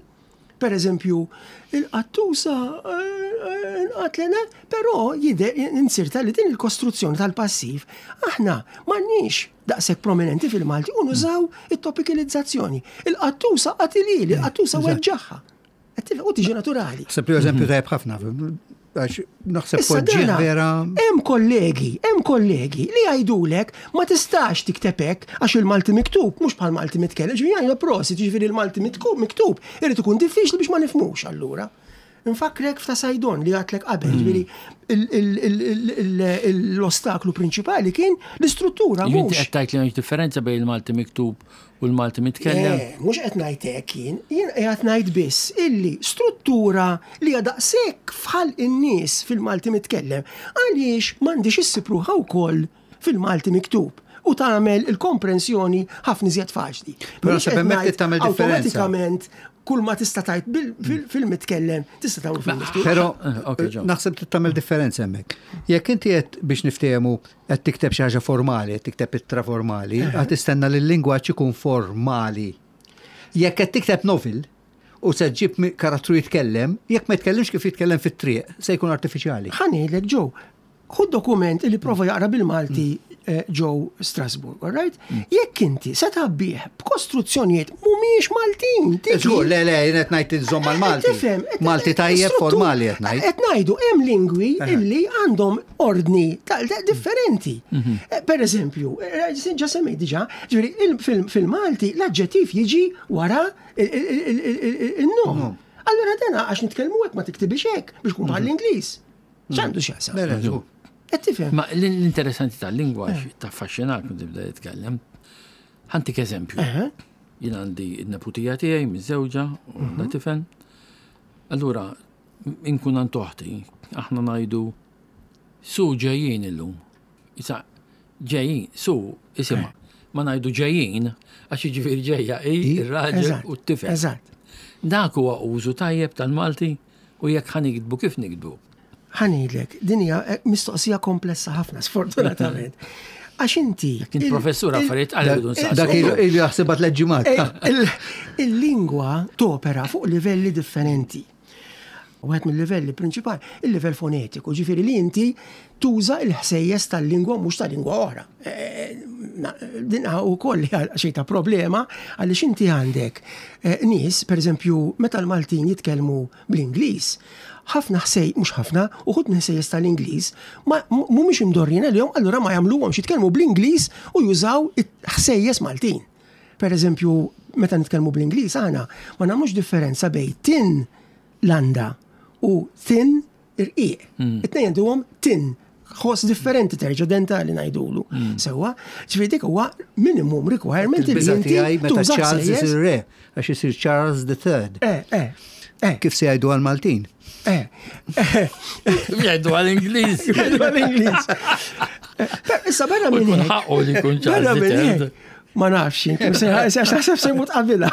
Per eżempju, il-qattusa eh, nqatlet, però jidher insirta li din il-kostruzzjoni tal-passiv aħna m'għandniex daqshekk prominenti fil-Malti u nużaw it-topikalizzazzjoni. Il-qattusa qatilili, il-qattusa weġġaħħa. U tiġi naturali. Sepp eżempju tajjeb ħafna Għax naħseb poġġieħ vera. Hemm kollegi, hemm kollegi li jgħidulek ma tistax tikteb hekk għax il-Malti miktub mhux bħal Malti mitkellem, ġifieri jgħidu prosit, ġifieri il-Malti miktub irid ikun diffiċli biex ma nifhmux allura. Infakkrek f'ta' Sajdon li għadtlek qabel, mm. ġifieri l-ostaklu prinċipali kien l-istruttura. Inti qed tgħid li m'hemmx differenza bejn il-Malti miktub U l-Malti mitkellem? Le, mhux qed ngħid hekk jien, jien qiegħed ngħid biss illi struttura li hija daqshekk f'ħalq in-nies fil-Malti mitkellem, għaliex m'għandhiex issib ruħha wkoll fil-Malti miktub u tagħmel il-komprensjoni ħafna iżjed faċli. Però naħseb hemmhekk trid tagħmel differenza. Awtomatikament kull ma tista' tgħid fil-mitkellem tista' tagħmlu fil-miktub. Però eh, naħseb trid tagħmel differenza hemmhekk. Jekk inti qed biex niftehmu qed tikteb xi ħaġa formali, qed tikteb ittra formali, qed tistenna li l-lingwaġġ ikun formali. Jekk qed tikteb novel u se ġġib karattru jitkellem, jekk ma jitkellimx kif jitkellem fit-triq, se jkun artifiċjali. Ħa ngħidlek Joe, ħu dokument li prova jaqra bil-Malti eh, ġew Strasburg, all right? Mm. Jekk inti se tabbih b'kostruzzjonijiet mhumiex Maltin. Żgur, le, le, jien qed ngħid inżomm mal-Malti. Tifhem, Malti tajjeb formali qed ngħid. Qed ngħidu hemm lingwi illi għandhom ordni differenti. Mhm. Eh, per eżempju, eh, ġa semmejt diġà, ġifieri fil-Malti l-aġġettiv jiġi wara il-nom. Allura dana għax nitkellmu hekk ma tiktibix hekk biex kun bħal mhm. l-Ingliż. X'għandu x'jaqsam? Qed tifhem? Ma l-interessanti tal-lingwa eh. taffaxxinak meta tibda jitkellem. Ħantik eżempju. Jien għandi n-neputija tiegħi miżewġa u għandha mhm. tifel. Allura, inkun għand oħti, aħna ngħidu su ġejjin illum. Issa, Ġejjin, su, isimha. Ma ngħidu ġejjin, għax jiġifieri ġejja hi ir-raġel u t-tifel. Eżatt. Dak huwa użu tajjeb tal-Malti u jekk ħa niktbu kif niktbu? Ħa ngħidlek, din hija eh, mistoqsija komplessa ħafna, sfortunatament. Għax inti. Kien professur affarijiet għal irridu nsaqsu. Dak ilu jaħsibha tliet ġimgħat. Eh, il-lingwa topera fuq livelli differenti. Wieħed mill-livelli prinċipali, il-livell fonetiku, ġifieri li inti tuża l-ħsejjes tal-lingwa mhux ta' lingwa oħra. Eh, eh, din ukoll xejn ta' problema għaliex inti għandek eh, nies, pereżempju, meta l-Maltin jitkellmu bl-Ingliż, ħafna ħsej, mhux ħafna, uħud minn ħsejjes tal-Ingliż, ma mhumiex imdorrin għalihom, allura ma jagħmluhomx jitkellmu bl-Ingliż u jużaw ħsejjes Maltin. Per eżempju, meta nitkellmu bl-Ingliż aħna ma nagħmlux differenza bejn tin landa u thin irqiq. Mm. It-tnejn għandhom tin ħoss differenti terġa' dentali ngħidulu. Mm. Sewwa, ġifieri dik huwa minimum requirement li inti meta Charles isir re, għax isir Charles the Third. Eh, eh, eh. Kif se jgħidu għal-Maltin? Eh. Jgħidu għal-Ingliż. Jgħidu għal-Ingliż. Issa barra minn hekk. Ħaqqu li jkun Charles the Third. Ma nafx, għax naħseb se jmut qabilha.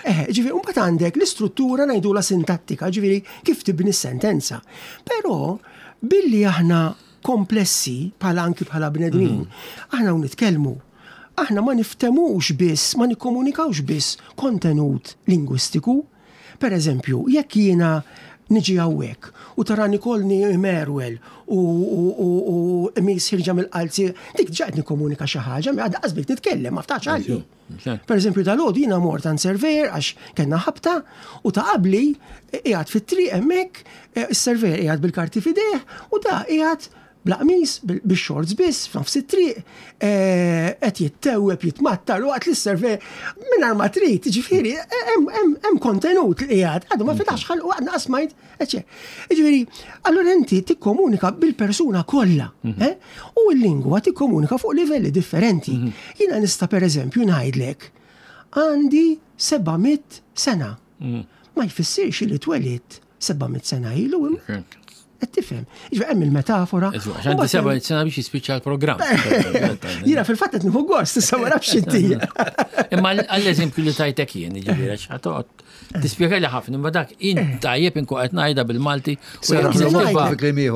Eh, ġifieri, mbagħad għandek l-istruttura ngħidula sintattika, ġifieri kif tibni s-sentenza. Però billi aħna komplessi bħala anki bħala bnedmin, mhm. aħna nitkellmu aħna ma niftemux biss, ma nikkomunikawx biss kontenut lingwistiku, Per eżempju, jekk jiena niġi hawnhekk u tarani kollni merwel u qmis ħirġa mill-qalzi, dik ġa qed nikkomunika xi ħaġa, għadha qas bdejt nitkellem, ma ftaħx għalli. Per eżempju, dal-għodu jiena mort għand surveyor għax kellna ħabta u ta' qabli qiegħed fit-triq hemmhekk, eh, is-surveyor qiegħed bil-karti f'idejh u da qiegħed Bla qmis, bix-shorts biss, f'nofs it-triq, qed jittewweb, jitmattar waqt li s-surveyor mingħajr ma trid, jiġifieri hemm kontenut li qiegħed, għadu ma fetaħx ħalqu għadna qatt smajt, eċċetera. Jiġifieri, allura inti tikkomunika bil-persuna kollha, mhm. eh? U l-lingwa tikkomunika fuq livelli differenti. Mhm. Jiena nista' pereżempju ngħidlek għandi 700 sena. Mhm. Ma jfissirx li twelidt 700 sena ilu. Qed tifhem. Jiġifieri hemm il-metafora. Għandi 700 sena biex jispiċċa l-programm. Jiena fil-fatt qed nieħu gost, issa ma nafx inti. Imma għall-eżempju li tajtek jien, jiġifieri għax ħatoqgħod tispjega li ħafna, imma dak in eh. tajjeb inkun qed ngħidha bil-Malti.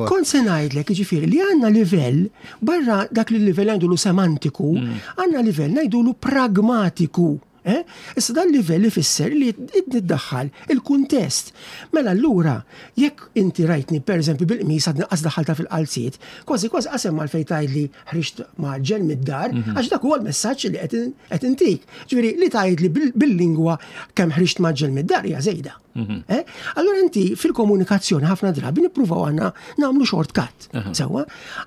Kont se ngħidlek jiġifieri li għandna livell barra dak li livell ngħidulu semantiku, mm. għandna livell ngħidulu pragmatiku. Eh? Issa dan livell ifisser li iddaħħal il-kuntest. Mela allura, jekk inti rajtni pereżempju bil-qmis għad naqqas daħħalta fil-qalziet, kważi kważi qasem mal fejn tgħidli ħriġt mgħaġġel mid-dar, mhm. għax dak huwa l-messaġġ li qed intik. Ġifieri li tgħidli bil-lingwa kemm ħriġt mgħaġġel mid-dar hija żejda. Mhm. Eh? Allura inti fil-komunikazzjoni ħafna drabi nippruvaw għandna nagħmlu shortcut. Sewwa?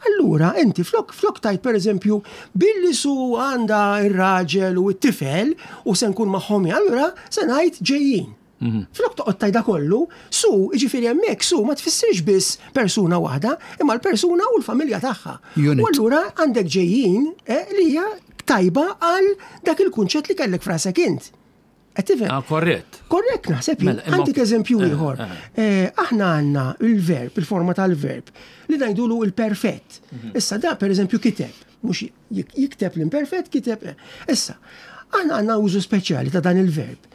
Allura inti flok flok tajt pereżempju billi su għandha ir-raġel u t-tifel u se nkun magħhom allura se ngħid ġejjin. Mhm. Flok toqgħod tajda kollu, su, jiġifieri hemmhekk su ma tfissirx biss persuna waħda, imma l-persuna u l-familja tagħha. U allura għandek ġejjin eh, li hija tajba għal dak il-kunċett li kellek frasek int. Qed tifhem? Ah, korrett. Korrett naħseb jien. Mela, Għandik eżempju eh, ieħor. Eh. Eh, aħna għandna il-verb, il-forma tal-verb, li ngħidulu il-perfett. Mhm. Issa da pereżempju kiteb, mhux jikteb l-imperfett, kiteb. Issa, aħna għandna użu speċjali ta' dan il-verb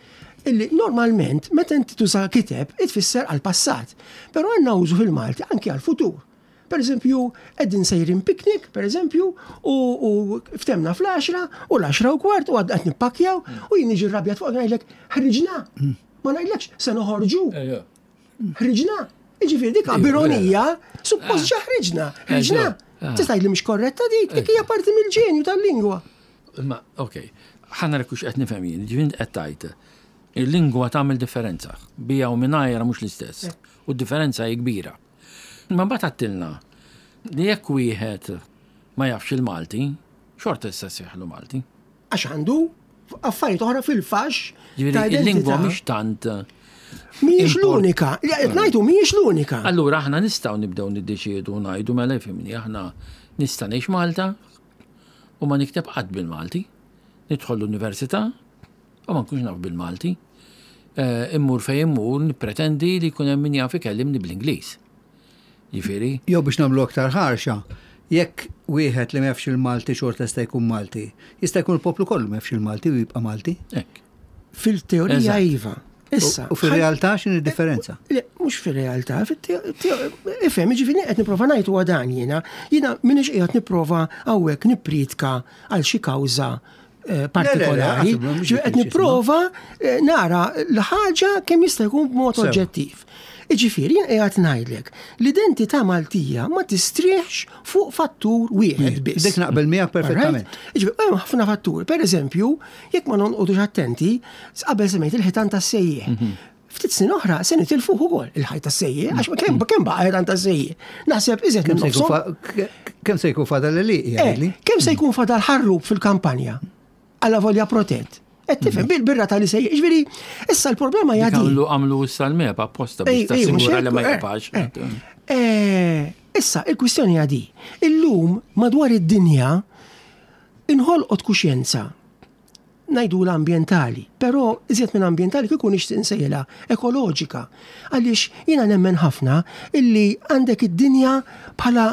illi normalment meta inti tuża kiteb itfisser għal passat, però għandna użu fil-Malti anki għal futur. Per eżempju, qegħdin sejrin picnic, per eżempju, u ftemna fl-10 u l-10 u kwart u għadna qed nippakkjaw u jien niġi rrabjat fuq ngħidlek ħriġna. Ma ngħidlekx se noħorġu. Ħriġna. Jiġifieri dik b'ironija, suppost ġa ħriġna. Ħriġna. Tista' tgħidli mhix korretta dik, dik hija parti mill-ġenju tal-lingwa. Imma, ok, ħa nara kux qed nifhem jien, ġifieri qed tgħid il-lingwa tagħmel differenza, bija u mingħajra mhux l-istess. U d-differenza hi kbira. Imma mbagħad għattilna li jekk wieħed ma jafx il-Malti, xorta jista' jsejħlu Malti. Għax għandu affarijiet oħra fil-fax. Ġifieri il-lingwa mhix tant. Mhijiex l-unika, li qed ngħidu mhijiex l-unika. Allura aħna nistgħu nibdew niddeċiedu ngħidu mela ifhimni aħna nista' ngħix Malta u ma nikteb qatt bil-Malti. Nidħol l-università u ma nkunx naf bil-Malti. Eh, immur fejn immur nippretendi li jkun hemm min jaf ikellimni bl-Ingliż. Jiġifieri. Jew biex nagħmlu aktar ħarxa, jekk wieħed li ma jafx il-Malti xorta jista' jkun Malti, jista' jkun il-poplu kollu ma jafx il-Malti u jibqa' Malti? Hekk. Fil-teorija iva. Issa. U fil-realtà x'inhi d-differenza? Le, mhux fil-realtà, ifhem, jiġifieri qed nipprova ngħid huwa dan jiena. Jiena m'iniex qiegħed nipprova hawnhekk nippriedka għal xi kawża eh, partikolari. Qed nipprova eh, nara l-ħaġa kemm jista' jkun b'mod oġġettiv. Iġifieri jien qiegħed ngħidlek l-identità Maltija ma tistrieħx fuq fattur wieħed biss. Dik naqbel miegħek perfettament. Iġifieri hemm ħafna fatturi. Per eżempju, jekk ma nonqodux attenti, qabel semmejt il-ħitan tas-sejjieħ. Mhm. Ftit snin oħra se nitilfuh ukoll il-ħajt tas-sejjieħ, għax kemm kemm baqa' ħitan tas-sejjieħ. Naħseb iżjed minn Kemm se jkun fadal li eh, Kemm se jkun fadal ħarrub fil-kampanja? Alla volja protett. Qed tifhem bil-birra tal sejjieħ. Ġifieri, issa l-problema hija din. Għamlu għamlu issa l-mep apposta biex tassigura li ma eh, jibqax. Eh, issa, il-kwistjoni hija di. Illum madwar id-dinja inħolqot kuxjenza ngħidulha ambjentali, però iżjed minn ambjentali kieku nixtieq insejħilha ekoloġika. Għaliex jiena nemmen ħafna illi għandek id-dinja bħala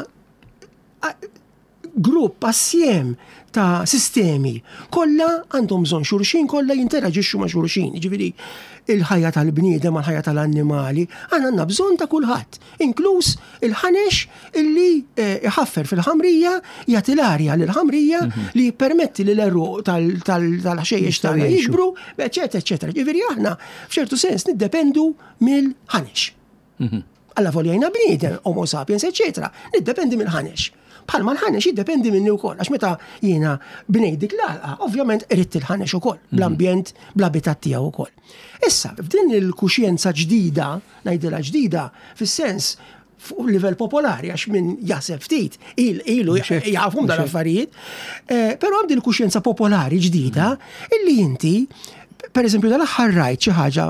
grupp assjem ta' sistemi kollha għandhom bżonn xulxin, kollha jinteraġixxu ma' xulxin. Jiġifieri il-ħajja tal-bniedem mal-ħajja tal-annimali, aħna għandna bżonn ta' kulħadd, inkluż il-ħanex illi eh, iħaffer fil-ħamrija, jagħti l-arja lill-ħamrija mhm. li jippermetti li l-eruq tal-ħxejjex tagħna jikbru, eċetera, eċetera. Ġifieri aħna f'ċertu sens niddependu mill-ħanex. Mhm. Alla volja jina bniedem, homo sapiens, eċetera, niddependi mill-ħanex. Bħalma l-ħanex jiddependi minni wkoll, għax meta jiena bnejt dik l-għalqa, ovvjament irrid il-ħanex ukoll, mhm. bl-ambjent, bl-abitat tiegħu ukoll. Issa, f'din il-kuxjenza ġdida, ngħidilha ġdida, fis-sens fuq livell popolari, għax min jaħseb ftit, ilu jafhom dal-affarijiet, eh, però hemm din il-kuxjenza popolari ġdida mhm. illi inti per eżempju, dal-aħħar rajt xi ħaġa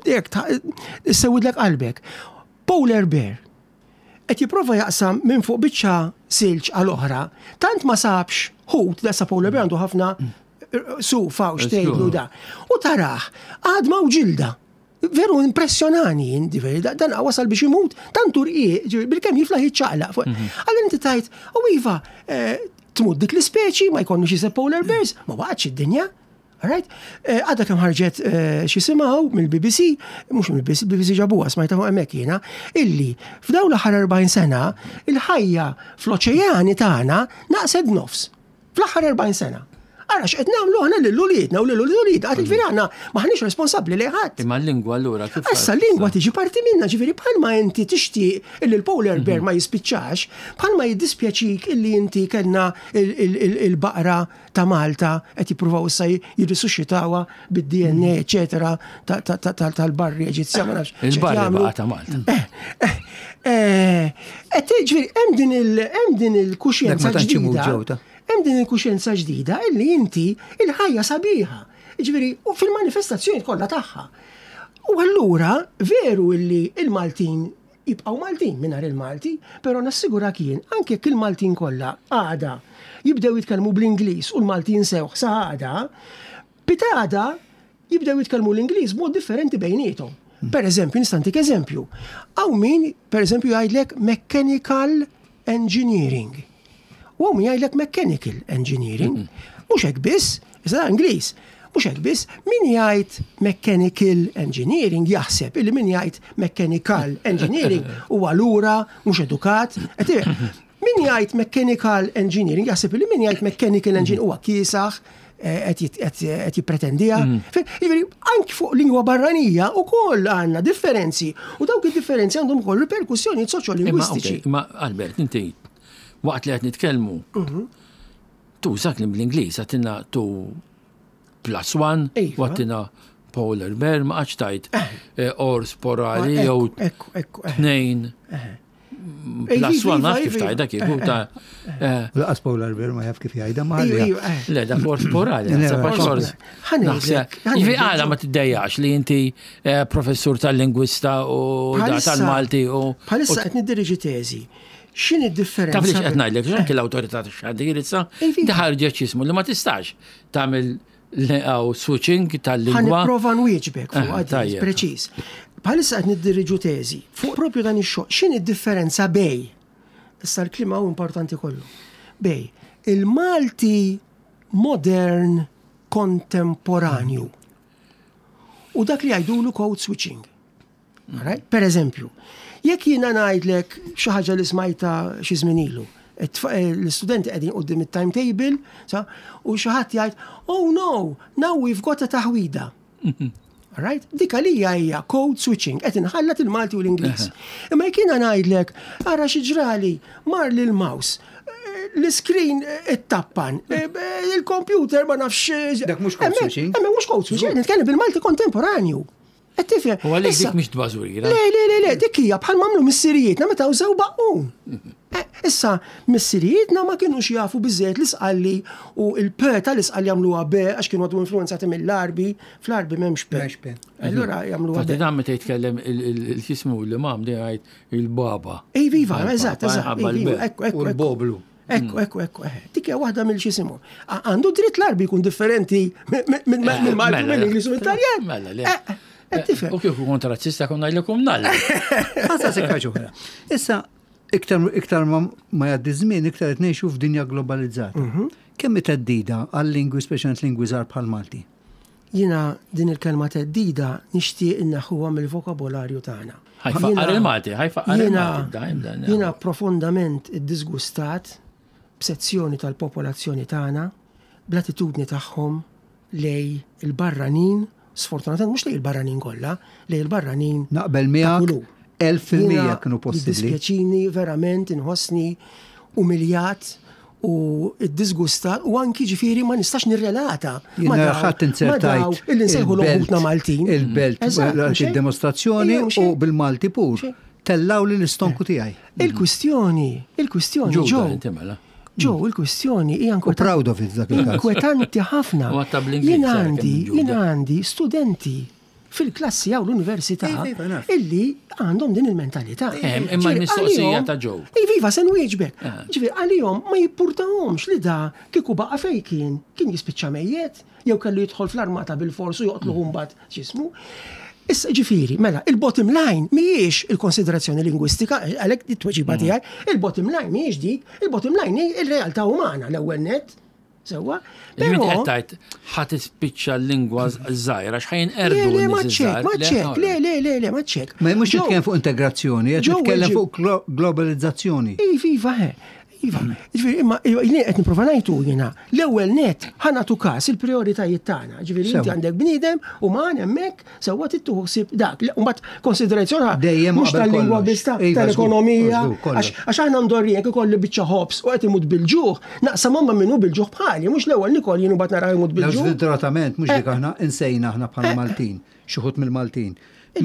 jekk sewidlek qalbek. Polar bear qed jipprova jaqsam minn fuq biċċa silġ għal oħra, tant ma sabx ħut, dasa polar bear għandu ħafna suf hawn xtejlu da. U taraħ, għadma u ġilda. Veru impressjonani, dan wasal biex imut, tant urqiq, bil-kemm jiflaħ jiċċaqlaq. Mhm. Allura inti tajt, u iva, eh, tmut dik l-ispeċi, ma jkollniex iseb polar bears, ma waqgħatx id-dinja. Alright? Eh, għadha kemm ħarġet eh, xi simgħu mill-BBC, mhux mill-BBC, BBC ġabuha smajta fuq hemmhekk jiena, illi f'dawn l-aħħar 40 sena il-ħajja fl-oċeani tagħna naqset nofs. Fl-aħħar 40 sena. Ara x'qed nagħmlu aħna lil uliedna u lil uliedna, għad ġifieri aħna maħniex responsabbli lejn ħadd. Imma l-lingwa allura kif. Issa l-lingwa tiġi parti minna, ġifieri bħalma inti tixtieq illi l-polar bear mhm. ma jispiċċax, bħalma jiddispjaċik illi inti kellna il-baqra ta' Malta qed jippruvaw issa jirrisusxitawha bid-DNA mhm. eċetera tal-barri Eġizzjan ma nafx. Il-barri baqa' ta' Malta. Eh, eh, eh, qed ġifieri hemm din il-kuxjenza ġdida. Hemm din il-kuxjenza ġdida illi inti il-ħajja sabiħa. Ġifieri, u fil-manifestazzjoni kollha tagħha. U allura veru illi il-Maltin jibqgħu Maltin mingħajr il-Malti, però nassigurak jien anke jekk il-Maltin kollha għada jibdew jitkellmu bl-Ingliż u l-Malti jinsewh sa għada, pitgħada jibdew jitkellmu l-Ingliż b'mod differenti bejniethom. Per eżempju, nista' ntik eżempju. Hawn min, per eżempju, jgħidlek mechanical engineering. U hawn min jgħidlek mechanical engineering. Mhux hekk biss, iżda Ingliż. Mhux hekk biss, min jgħid mechanical engineering jaħseb illi min jgħid mechanical engineering huwa lura mhux edukat. Min jgħid mechanical engineering jaħseb illi min jgħid mechanical engineering huwa kiesaħ, eh, qed jippretendiha. Mm. Jiġifieri anki fuq lingwa barranija wkoll għandna differenzi u dawk id-differenzi għandhom ukoll riperkussjonijiet soċjolingwistiċi. Ma Albert, inti waqt li qed nitkellmu, mhm. Tuża kliem bl-Ingliż, għatina tu plus one, iva. għatina polar bear, ma għax tajt eh. eh, or sporali ah, jew eh. tnejn. Plus one, naf kif tajda kif ta' Laqas polar bear ma jaf kif jgħidha ma iva, Le, da or sporali, Jivi għala ma tiddejjax li inti professur tal-lingwista u tal-Malti u. Bħalissa qed niddirieġi teżi. X'inhi d-differenza? Taf li x'qed ngħidlek, anke l-awtorità tax-xandir issa ħarġet x'ismu li ma tistax tagħmel għaw switching tal-lingwa. Ħa nipprova nwieġbek fuq eh, preċiż. Bħalissa qed niddiriġu teżi fuq propju dan ix-xogħol. X'inhi d-differenza bej? Issa l-kliem hawn importanti kollu. Bej il-Malti modern kontemporanju u dak li jgħidulu code switching. Right? Per eżempju, jekk jiena ngħidlek xi ħaġa li smajta xi żmien ilu, eh, l-istudenti qegħdin quddiem it-timetable, sa, u xi ħadd jgħid, oh no, now we've got a taħwida. Right? Dik għalija hija code switching, qed inħallat il-Malti u l-Ingliż. Imma jekk jiena ngħidlek, ara xi ġrali, mar lil mouse, eh, l-screen it-tappan, eh, il-computer ma nafx. Dak mhux code switching. Hemmhekk mhux code switching, nitkellem bil-Malti kontemporanju. Qed tifhem? U għalhekk dik mhix tbażwira. Le, le, le, le, dik hija bħal m'għamlu missirijietna meta użaw baqqun. Eh, issa, missirijietna ma kienux jafu biżżejjed l-isqalli u l-p tal-isqalli jagħmluha b għax kienu għadu influenzati mill-Għarbi, fl-Għarbi m'hemmx p. M'hemmx p. Allura jagħmluha b. Dan meta jitkellem il-xismu l-imam dejjem jgħid il-baba. Iva, iva, eżatt, eżatt. U l-boblu. Ekku, ekku, ekku, eh. Dik hija waħda mill xisimu. Għandu dritt l-Arbi jkun differenti mill-Malti, eh, mill-Ingliż u mill-Taljan. Mela, le. Eh, eh, u kieku kont razzista konna ngħidilkom nalla. Ħassa sekka ġoħra. Issa, iktar iktar ma jgħaddi żmien, iktar qed ngħixu f'dinja globalizzata. Mhm. Kemm theddida għal-lingwi speċjalment lingwi żgħar bħal Malti? Jiena din il-kelma theddida nixtieq inneħħuha mill-vokabolarju tagħna. Ħa jfaqqar il-Malti, ħa jfaqqar il-Malti. Jiena profondament iddisgustat b'sezzjoni tal-popolazzjoni tagħna bl-attitudni tagħhom lejn il-barranin, sfortunatament mhux lejn il-barranin kollha, lejn il-barranin. Naqbel miegħek 1000% kienu possibbli. Jiddispjaċini verament inħossni umiljat u ddisgustat u anki ġifieri ma nistax nirrelata. Ma ħadd inzertajt. Illi nsejħu l-ħutna Maltin. Il-belt, il-demostrazzjoni u bil-Malti pur. Tellaw li l-istonku eh. tiegħi. Il-kwistjoni, il-kwistjoni ġo. Mela. Ġo, il-kwistjoni hija proud of it dak il-każ. Inkwetanti ħafna. Jien għandi, jien għandi studenti fil-klassi jew l-università illi għandhom din il-mentalità. Eh, imma l-mistoqsija ta' ġew. Iva, iva, se nwieġbek. Eh. Ġifieri għalihom ma jippurtahomx li da kieku baqa' fejn kien, kien jispiċċa mejjet, jew kellu jidħol fl-armata bil-fors u joqtluh mm. mbagħad x'ismu. Issa ġifieri, mela, il-bottom line mhijiex il-konsiderazzjoni lingwistika, għalhekk it-tweġiba mm. tiegħi, il-bottom line mhijiex dik, il-bottom line hi il-realtà umana l-ewwel net. Sewwa? Però qed tgħid ħa tispiċċa l-lingwa żgħira x'ħajn erdu. Le, ma ċek, ma ċek, le, le, le, le, ma ċek. Ma mhux nitkellem fuq integrazzjoni, qed nitkellem fuq globalizzazzjoni. Iva, iva, he. Iva, ġifieri imma jien qed nipprova ngħidu jiena, l-ewwel net ħa nagħtu każ il-prijoritajiet tagħna. Ġifieri inti għandek bniedem u ma hemmhekk Sewwa trid tieħu ħsieb dak. Mbagħad konsiderazzjoni dejjem mhux tal-lingwa biss iva, tal-ekonomija. Għax aħna mdorrijin jekk ikolli biċċa ħobż u qed imut bil-ġuħ, naqsam ma minnu bil-ġuħ bħali, mhux l-ewwel nikol jien u mbagħad nara jmut bil-ġuħ. Sfortunatament mhux dik eh. aħna insejna aħna bħala eh. Maltin, xi ħut mill-Maltin.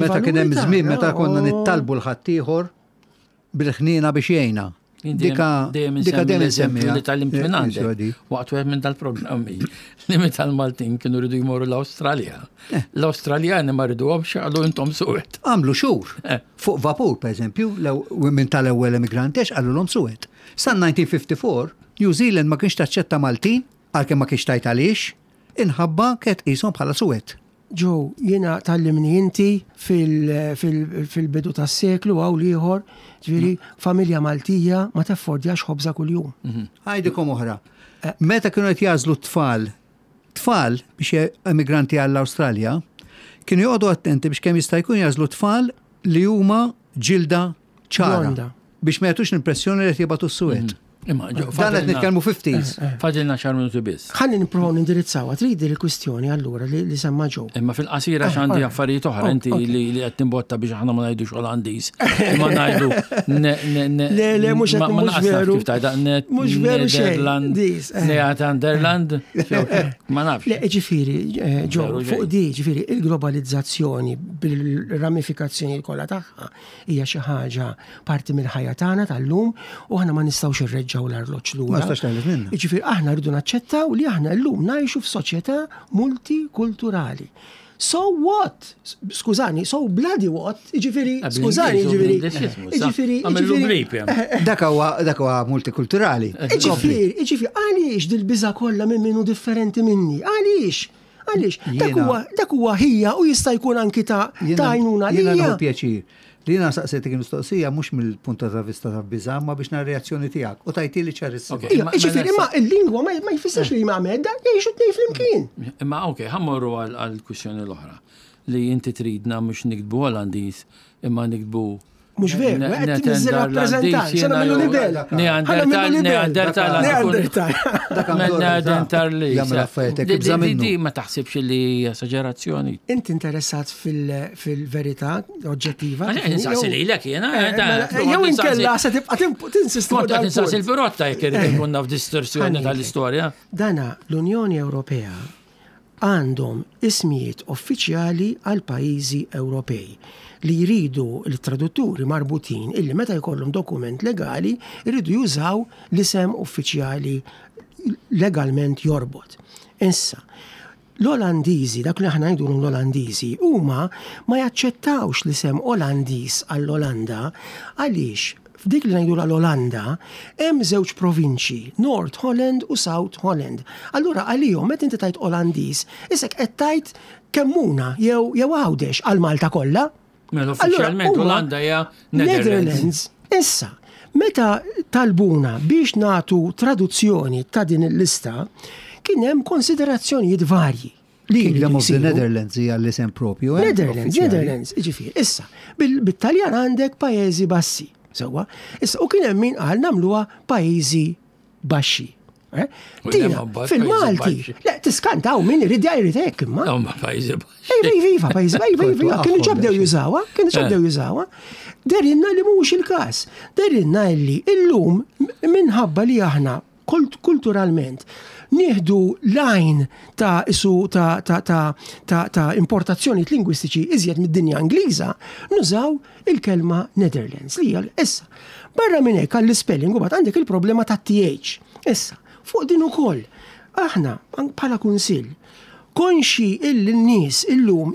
Meta kien hemm żmien meta konna oh. nittalbu l-ħaddieħor bil-ħniena biex jgħinna. Dika dika dejjem insemmiha. Li tgħallimt minn għandek. Waqt wieħed minn dal-programmi li meta l-Maltin kienu rridu jmorru l-Awstralja. Eh. L-Awstraljani ma rriduhomx qalu intom suwed. Għamlu xhur. Eh. Fuq vapur, pereżempju, minn tal-ewwel emigranti għax qalulhom suwed. Sa 1954, New Zealand ma kienx taċċetta Maltin, għalkemm ma kienx tajt għaliex, inħabba kienet qishom bħala suwed. Joe, jiena tgħallimni inti fil-bidu tas-seklu hawn l-ieħor, ġifieri familja Maltija ma taffordjax ħobża kuljum. Mhm. Għajdikom oħra. Eh. Meta kienu qed jażlu t-tfal, tfal biex emigranti għall-Awstralja, kienu joqogħdu attenti biex kemm jista' jkun jażlu tfal li huma ġilda ċara. Biex ma jagħtux l-impressjoni li qed jibgħatu s-suwed. Mhm. Imma Dan qed nitkellmu 50s. Eh, eh. Fadilna xar minuti biss. Ħalli nippruvaw nindirizzawha, trid il-kwistjoni allura li semma ġew. Imma fil-qasira eh, x'għandi affarijiet oħra inti li qed timbotta biex aħna ma ngħidux Olandiż. Imma ngħidu Le le mhux qed mhux veru. Kif tgħidha mhux veru xejn. Nederland. Ma nafx. Le ġifieri ġew fuq di ġifieri il-globalizzazzjoni bil-ramifikazzjoni kollha tagħha Hija xi ħaġa parti mill-ħajja tagħna tal-lum u aħna ma nistgħux irreġġgħu l-arloġġ lura. Ma nistax teħles minnha. Jiġifieri aħna rridu naċċettaw li aħna llum ngħixu f'soċjetà multikulturali. So what? Skużani, so bloody what? Jiġifieri, skużani, jiġifieri. Jiġifieri, jiġifieri. Dak huwa dak huwa multikulturali. Jiġifieri, jiġifieri, għaliex dil-biża' kollha minn min hu differenti minni? Għaliex? Għaliex, dak huwa dak huwa ħija u jista' jkun anki ta' għajnuna li. Jiena pjaċir. Li jiena saqsejtek il-mistoqsija mhux mill-punt ta' vista ta' biża' ma biex nara reazzjoni tiegħek u tajtili ċarissima. Mela jiġifieri imma l-lingwa ma jfissirx li ma medda jgħixu tnejn flimkien. Imma ok, ħammorru għall-kwistjoni l-oħra li inti tridna mhux niktbu Olandiż imma niktbu Mux veru, qed tinżel rappreżentant, se nagħmlu libel. Neandertal, Neandertal. Neandertal. Neandertal li. Jagħmel affarijiet hekk ibża' minnu. Di ma taħsibx li esaġerazzjoni. Inti interessat fil-verità oġġettiva. Insaqsi lilek jiena. Eh, mela, jew inkella se tibqa' tinsisti. Kont qed insaqsi l-pirotta jekk irid ikun naf distorsjoni tal-istorja. Dana l-Unjoni Ewropea għandhom ismijiet uffiċjali għall-pajjiżi Ewropej li jridu l-tradutturi marbutin illi meta jkollhom dokument legali jridu jużaw l-isem uffiċjali legalment jorbot. Issa, l-Olandiżi, dak li aħna ngħidulhom l-Olandiżi, huma ma jaċċettawx l-isem Olandiż għall-Olanda għaliex F'dik li ngħidulha l-Olanda, hemm żewġ provinċji, North Holland u South Holland. Allura għalihom meta inti tgħid Olandiż, isek qed tgħid Kemmuna jew jew Għawdex għal Malta kollha. Mela uffiċjalment Olanda hija Netherlands. Issa, meta talbuna biex nagħtu traduzzjoni ta' din il-lista, kien hemm konsiderazzjonijiet varji. Kingdom of the Netherlands hija l-isem propju. Eh? Netherlands, Netherlands, ġifieri. Issa, bit-Taljan għandek pajjiżi bassi. Sewwa, issa u kien hemm min qal nagħmluha pajjiżi baxxi. Eh? Dina, fil-Malti, le, tiskantaw min irid jgħid hekk imma. Ma pajjiżi baxxi. Iva, iva, iva, pajjiżi, iva, iva, iva, kienu ġabdew jużawha, kienu ġabdew eh. jużawha. Derinna li mhux il-każ. Derinna li illum minħabba li aħna kulturalment nieħdu l-għajn ta' isu ta' ta' ta' ta' ta' importazzjonijiet lingwistiċi iżjed mid-dinja Ingliża, nużaw il-kelma Netherlands li hija issa. Barra minn hekk għall-ispelling u għandek il-problema ta' TH. Issa, fuq din ukoll, aħna bħala kunsill konxi illi n-nies illum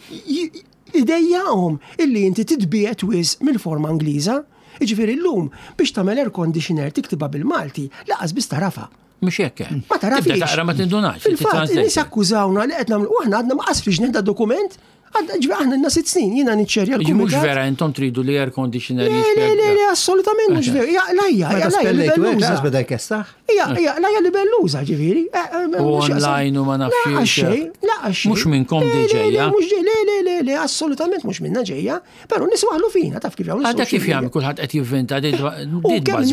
idejjaqhom illi inti titbiegħed wisq mill-forma Ingliża. Jiġifieri llum biex tagħmel air conditioner tiktibha bil-Malti, lanqas biss tagħrafha. Mhux hekk hemm. Ma tagħrafhiex. Tibda taqra ma tindunax. Fil-fatt, in-nies akkużawna li qed nagħmlu u aħna għadna ma qas ħriġna da dokument. Ġifieri aħna lna sitt snin jiena niċċerja l Mhux vera intom tridu li air conditioner Le, le, le, le, assolutament mhux vera. Hija qlajja, hija qlajja li belluża. Beda jkessaħ. Hija hija qlajja li belluża, ġifieri. Eh, eh, u online u ma nafx. xejn, la xejn. Mhux minnkom di ġejja. Mhux le, le, le, le, assolutament mhux minna ġejja. Però nies waħlu fina, taf kif jagħmlu. Għadha kif jagħmel kulħadd qed jivvinta di Għax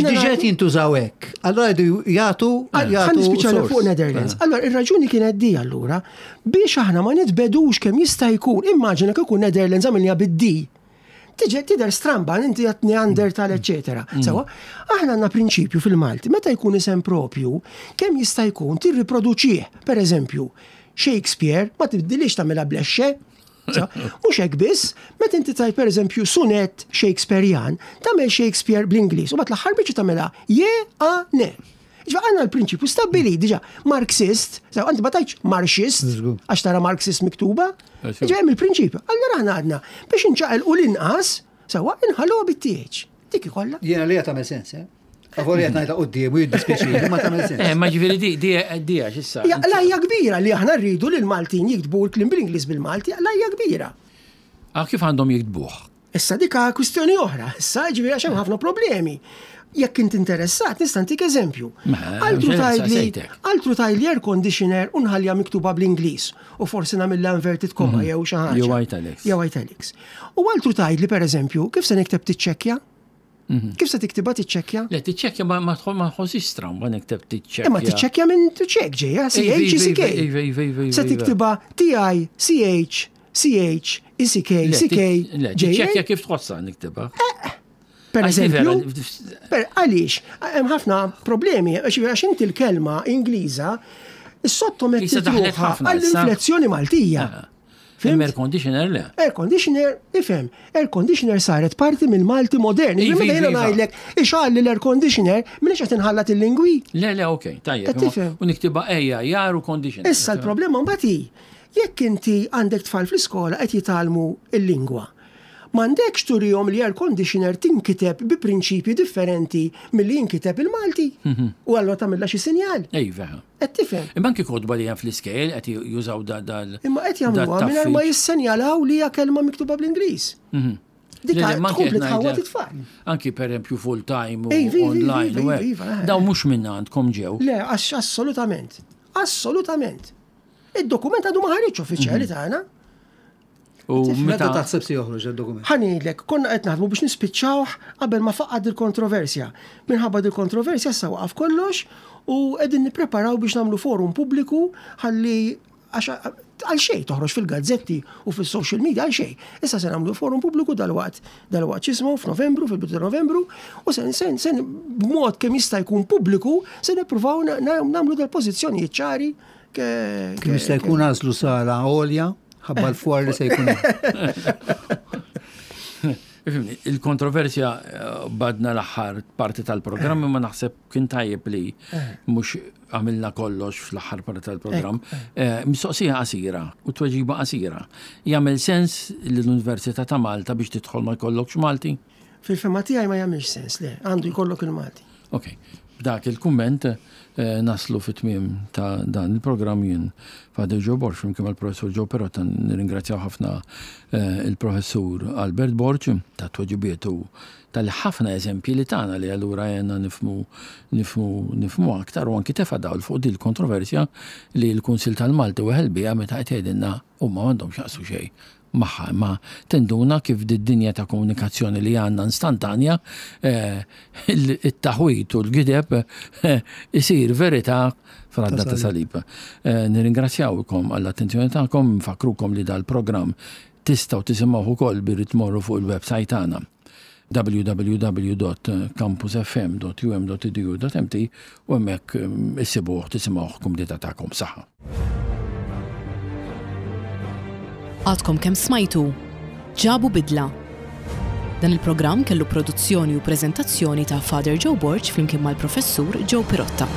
diġà jintużaw hekk. Allura jgħidu jagħtu jagħtu. Nispiċċa fuq Netherlands. Eh. Allura ir-raġuni kienet di allura biex aħna ma nitbedux kemm jista' jkun, immaġina kieku Netherlands għamilniha bid-D. Tiġi tidher stramba inti qed Neandertal eċetera. Mm. Sewa, aħna għandna prinċipju fil-Malti, meta jkun isem propju, kemm jista' jkun tirriproduċih. Per eżempju, Shakespeare ma tibdilix tagħmilha blexxe, Mhux hekk biss, meta inti tajt pereżempju sunet Shakespearean, tagħmel Shakespeare bl-Ingliż u bat l-aħħar biċċa tagħmilha je a ne. Ġa għandna l-prinċipju stabbilit diġà Marxist, sew għandi ma tajtx Marxist, għax tara Marxist miktuba, ġa hemm il-prinċipju. Allura aħna għadna biex inċaqilqu l-inqas, sewwa inħalluha bit-TH. Dik ikollha. Jiena li tagħmel sens, eh? Avolja qed ngħidha quddiem u jiddispjaċini, ma tagħmel sens. Eh, ma ġifieri di di di għax issa. Hija qlajja kbira li aħna rridu li l-Maltin jiktbu l-kliem bl-Ingliż bil-Malti, qlajja kbira. Ah, kif għandhom jiktbuh? Issa dik kwistjoni oħra, issa ġifieri għax hemm ħafna problemi. Jekk int interessat, nista' ntik eżempju. Mela, Altru tgħidli, altru tgħidli air conditioner u nħallija miktuba bl-Ingliż u forsi nagħmilha inverted comma mhm. jew xi ħaġa. Jew italics. Jew italics. U altru tgħidli pereżempju, kif se nikteb tiċċekkja? Mhm. Kif se tiktibha tiċċekkja? Le tiċċekkja ma ma tħossix stramba nikteb tiċċekkja. Imma tiċċekkja minn ċek ġejja, C H C K. Iva, iva, iva, Se tiktibha T I C H C H E C K C K. Le, tiċċekkja kif tħossha niktibha. Eh, per eżempju, per għaliex, hemm ħafna problemi, għax inti l-kelma Ingliża sottometti ruħha għall-inflezzjoni Maltija. Ah. Fim air conditioner le. Air conditioner, ifhem, air conditioner saret parti mill-Malti modern. Iva, meta jiena iva. ngħidlek ixgħalli l-air conditioner, minix qed inħallat il-lingwi. Le, le, ok, tajjeb. U niktiba ejja, jaru conditioner. Issa l-problema mbagħad hi, jekk inti għandek tfal fl-iskola qed jitgħallmu l-lingwa. M'għandekx turihom li air conditioner tinkiteb bi prinċipji differenti milli jinkiteb il-Malti. U allura tagħmilha xi sinjal. Iva. Qed tifhem? Imma anki kotba li hemm fl-iskejjel qed jużaw dal. Imma qed jagħmluha mingħajr ma jissenjalaw li hija kelma miktuba bl-Ingliż. Mhm. Dik tkompli tħawwad it-tfal. Anki pereżempju full time u online. Eh. Daw mhux minn għandkom ġew. Le, assolutament. Assolutament. Id-dokument għadu ma ħareġ uffiċjali mhm. tagħna. U meta taħseb se joħroġ id-dokument? Ħa ngħidlek, konna qed naħdmu biex nispiċċawh qabel ma faqqad il-kontroversja. Minħabba dil-kontroversja issa waqaf kollox u qegħdin nippreparaw biex nagħmlu forum pubbliku ħalli għax għal xejn toħroġ fil-gazzetti u fis-social media għal xejn. Issa se nagħmlu forum pubbliku dalwaqt dalwaqt x'ismu f'Novembru, fil-bidu ta' Novembru, u se se b'mod kemm jista' jkun pubbliku se nippruvaw nagħmlu dal-pożizzjonijiet ċari Kemm jista' jkun għażlu sala għolja ħabba l-fwar li se jkun. Ifimni, il-kontroversja eh, badna l-aħħar parti tal-programm ma naħseb kien tajjeb li eh. mhux għamilna kollox fl-aħħar parti tal-programm. Eh, mistoqsija qasira u tweġiba qasira. Jagħmel sens li l-Università ta' Malta biex tidħol ma jkollokx Malti? Fil-fema tiegħi ma jagħmilx sens, le, għandu jkollok il-Malti. Ok, b'dak il-kumment eh, naslu fit-tmiem ta' dan il-programm jien Father Joe Borg flimkien mal-Professur Joe Perotta nirringrazzjaw ħafna eh, il-Professur Albert Borg ta' tweġibiet u tal-ħafna eżempji li tagħna li allura għenna nifmu nifmu nifmu aktar u anki tefa' dawl fuq din il-kontroversja li l-Kunsil tal-Malti weħel biha meta qed jgħidilna huma m'għandhom x'jaqsu xejn magħha, imma tinduna kif did-dinja ta' komunikazzjoni li għandna instantanja, eh, it-taħwit u l-gideb eh, isir verità fradda ta' salib. Eh, nirringrazzjawkom għall-attenzjoni tagħkom, nfakkrukom li dal-programm tistgħu tisimgħuh ukoll billi tmorru fuq il-website tagħna www.campusfm.um.edu.mt u hemmhekk mm, issibuh tisimgħuh kumdita tagħkom saħħa. Għadkom kemm smajtu Ġabu Bidla. Dan il-programm kellu produzzjoni u preżentazzjoni ta' Father Joe Borg flimkien mal-Professur Joe Pirotta.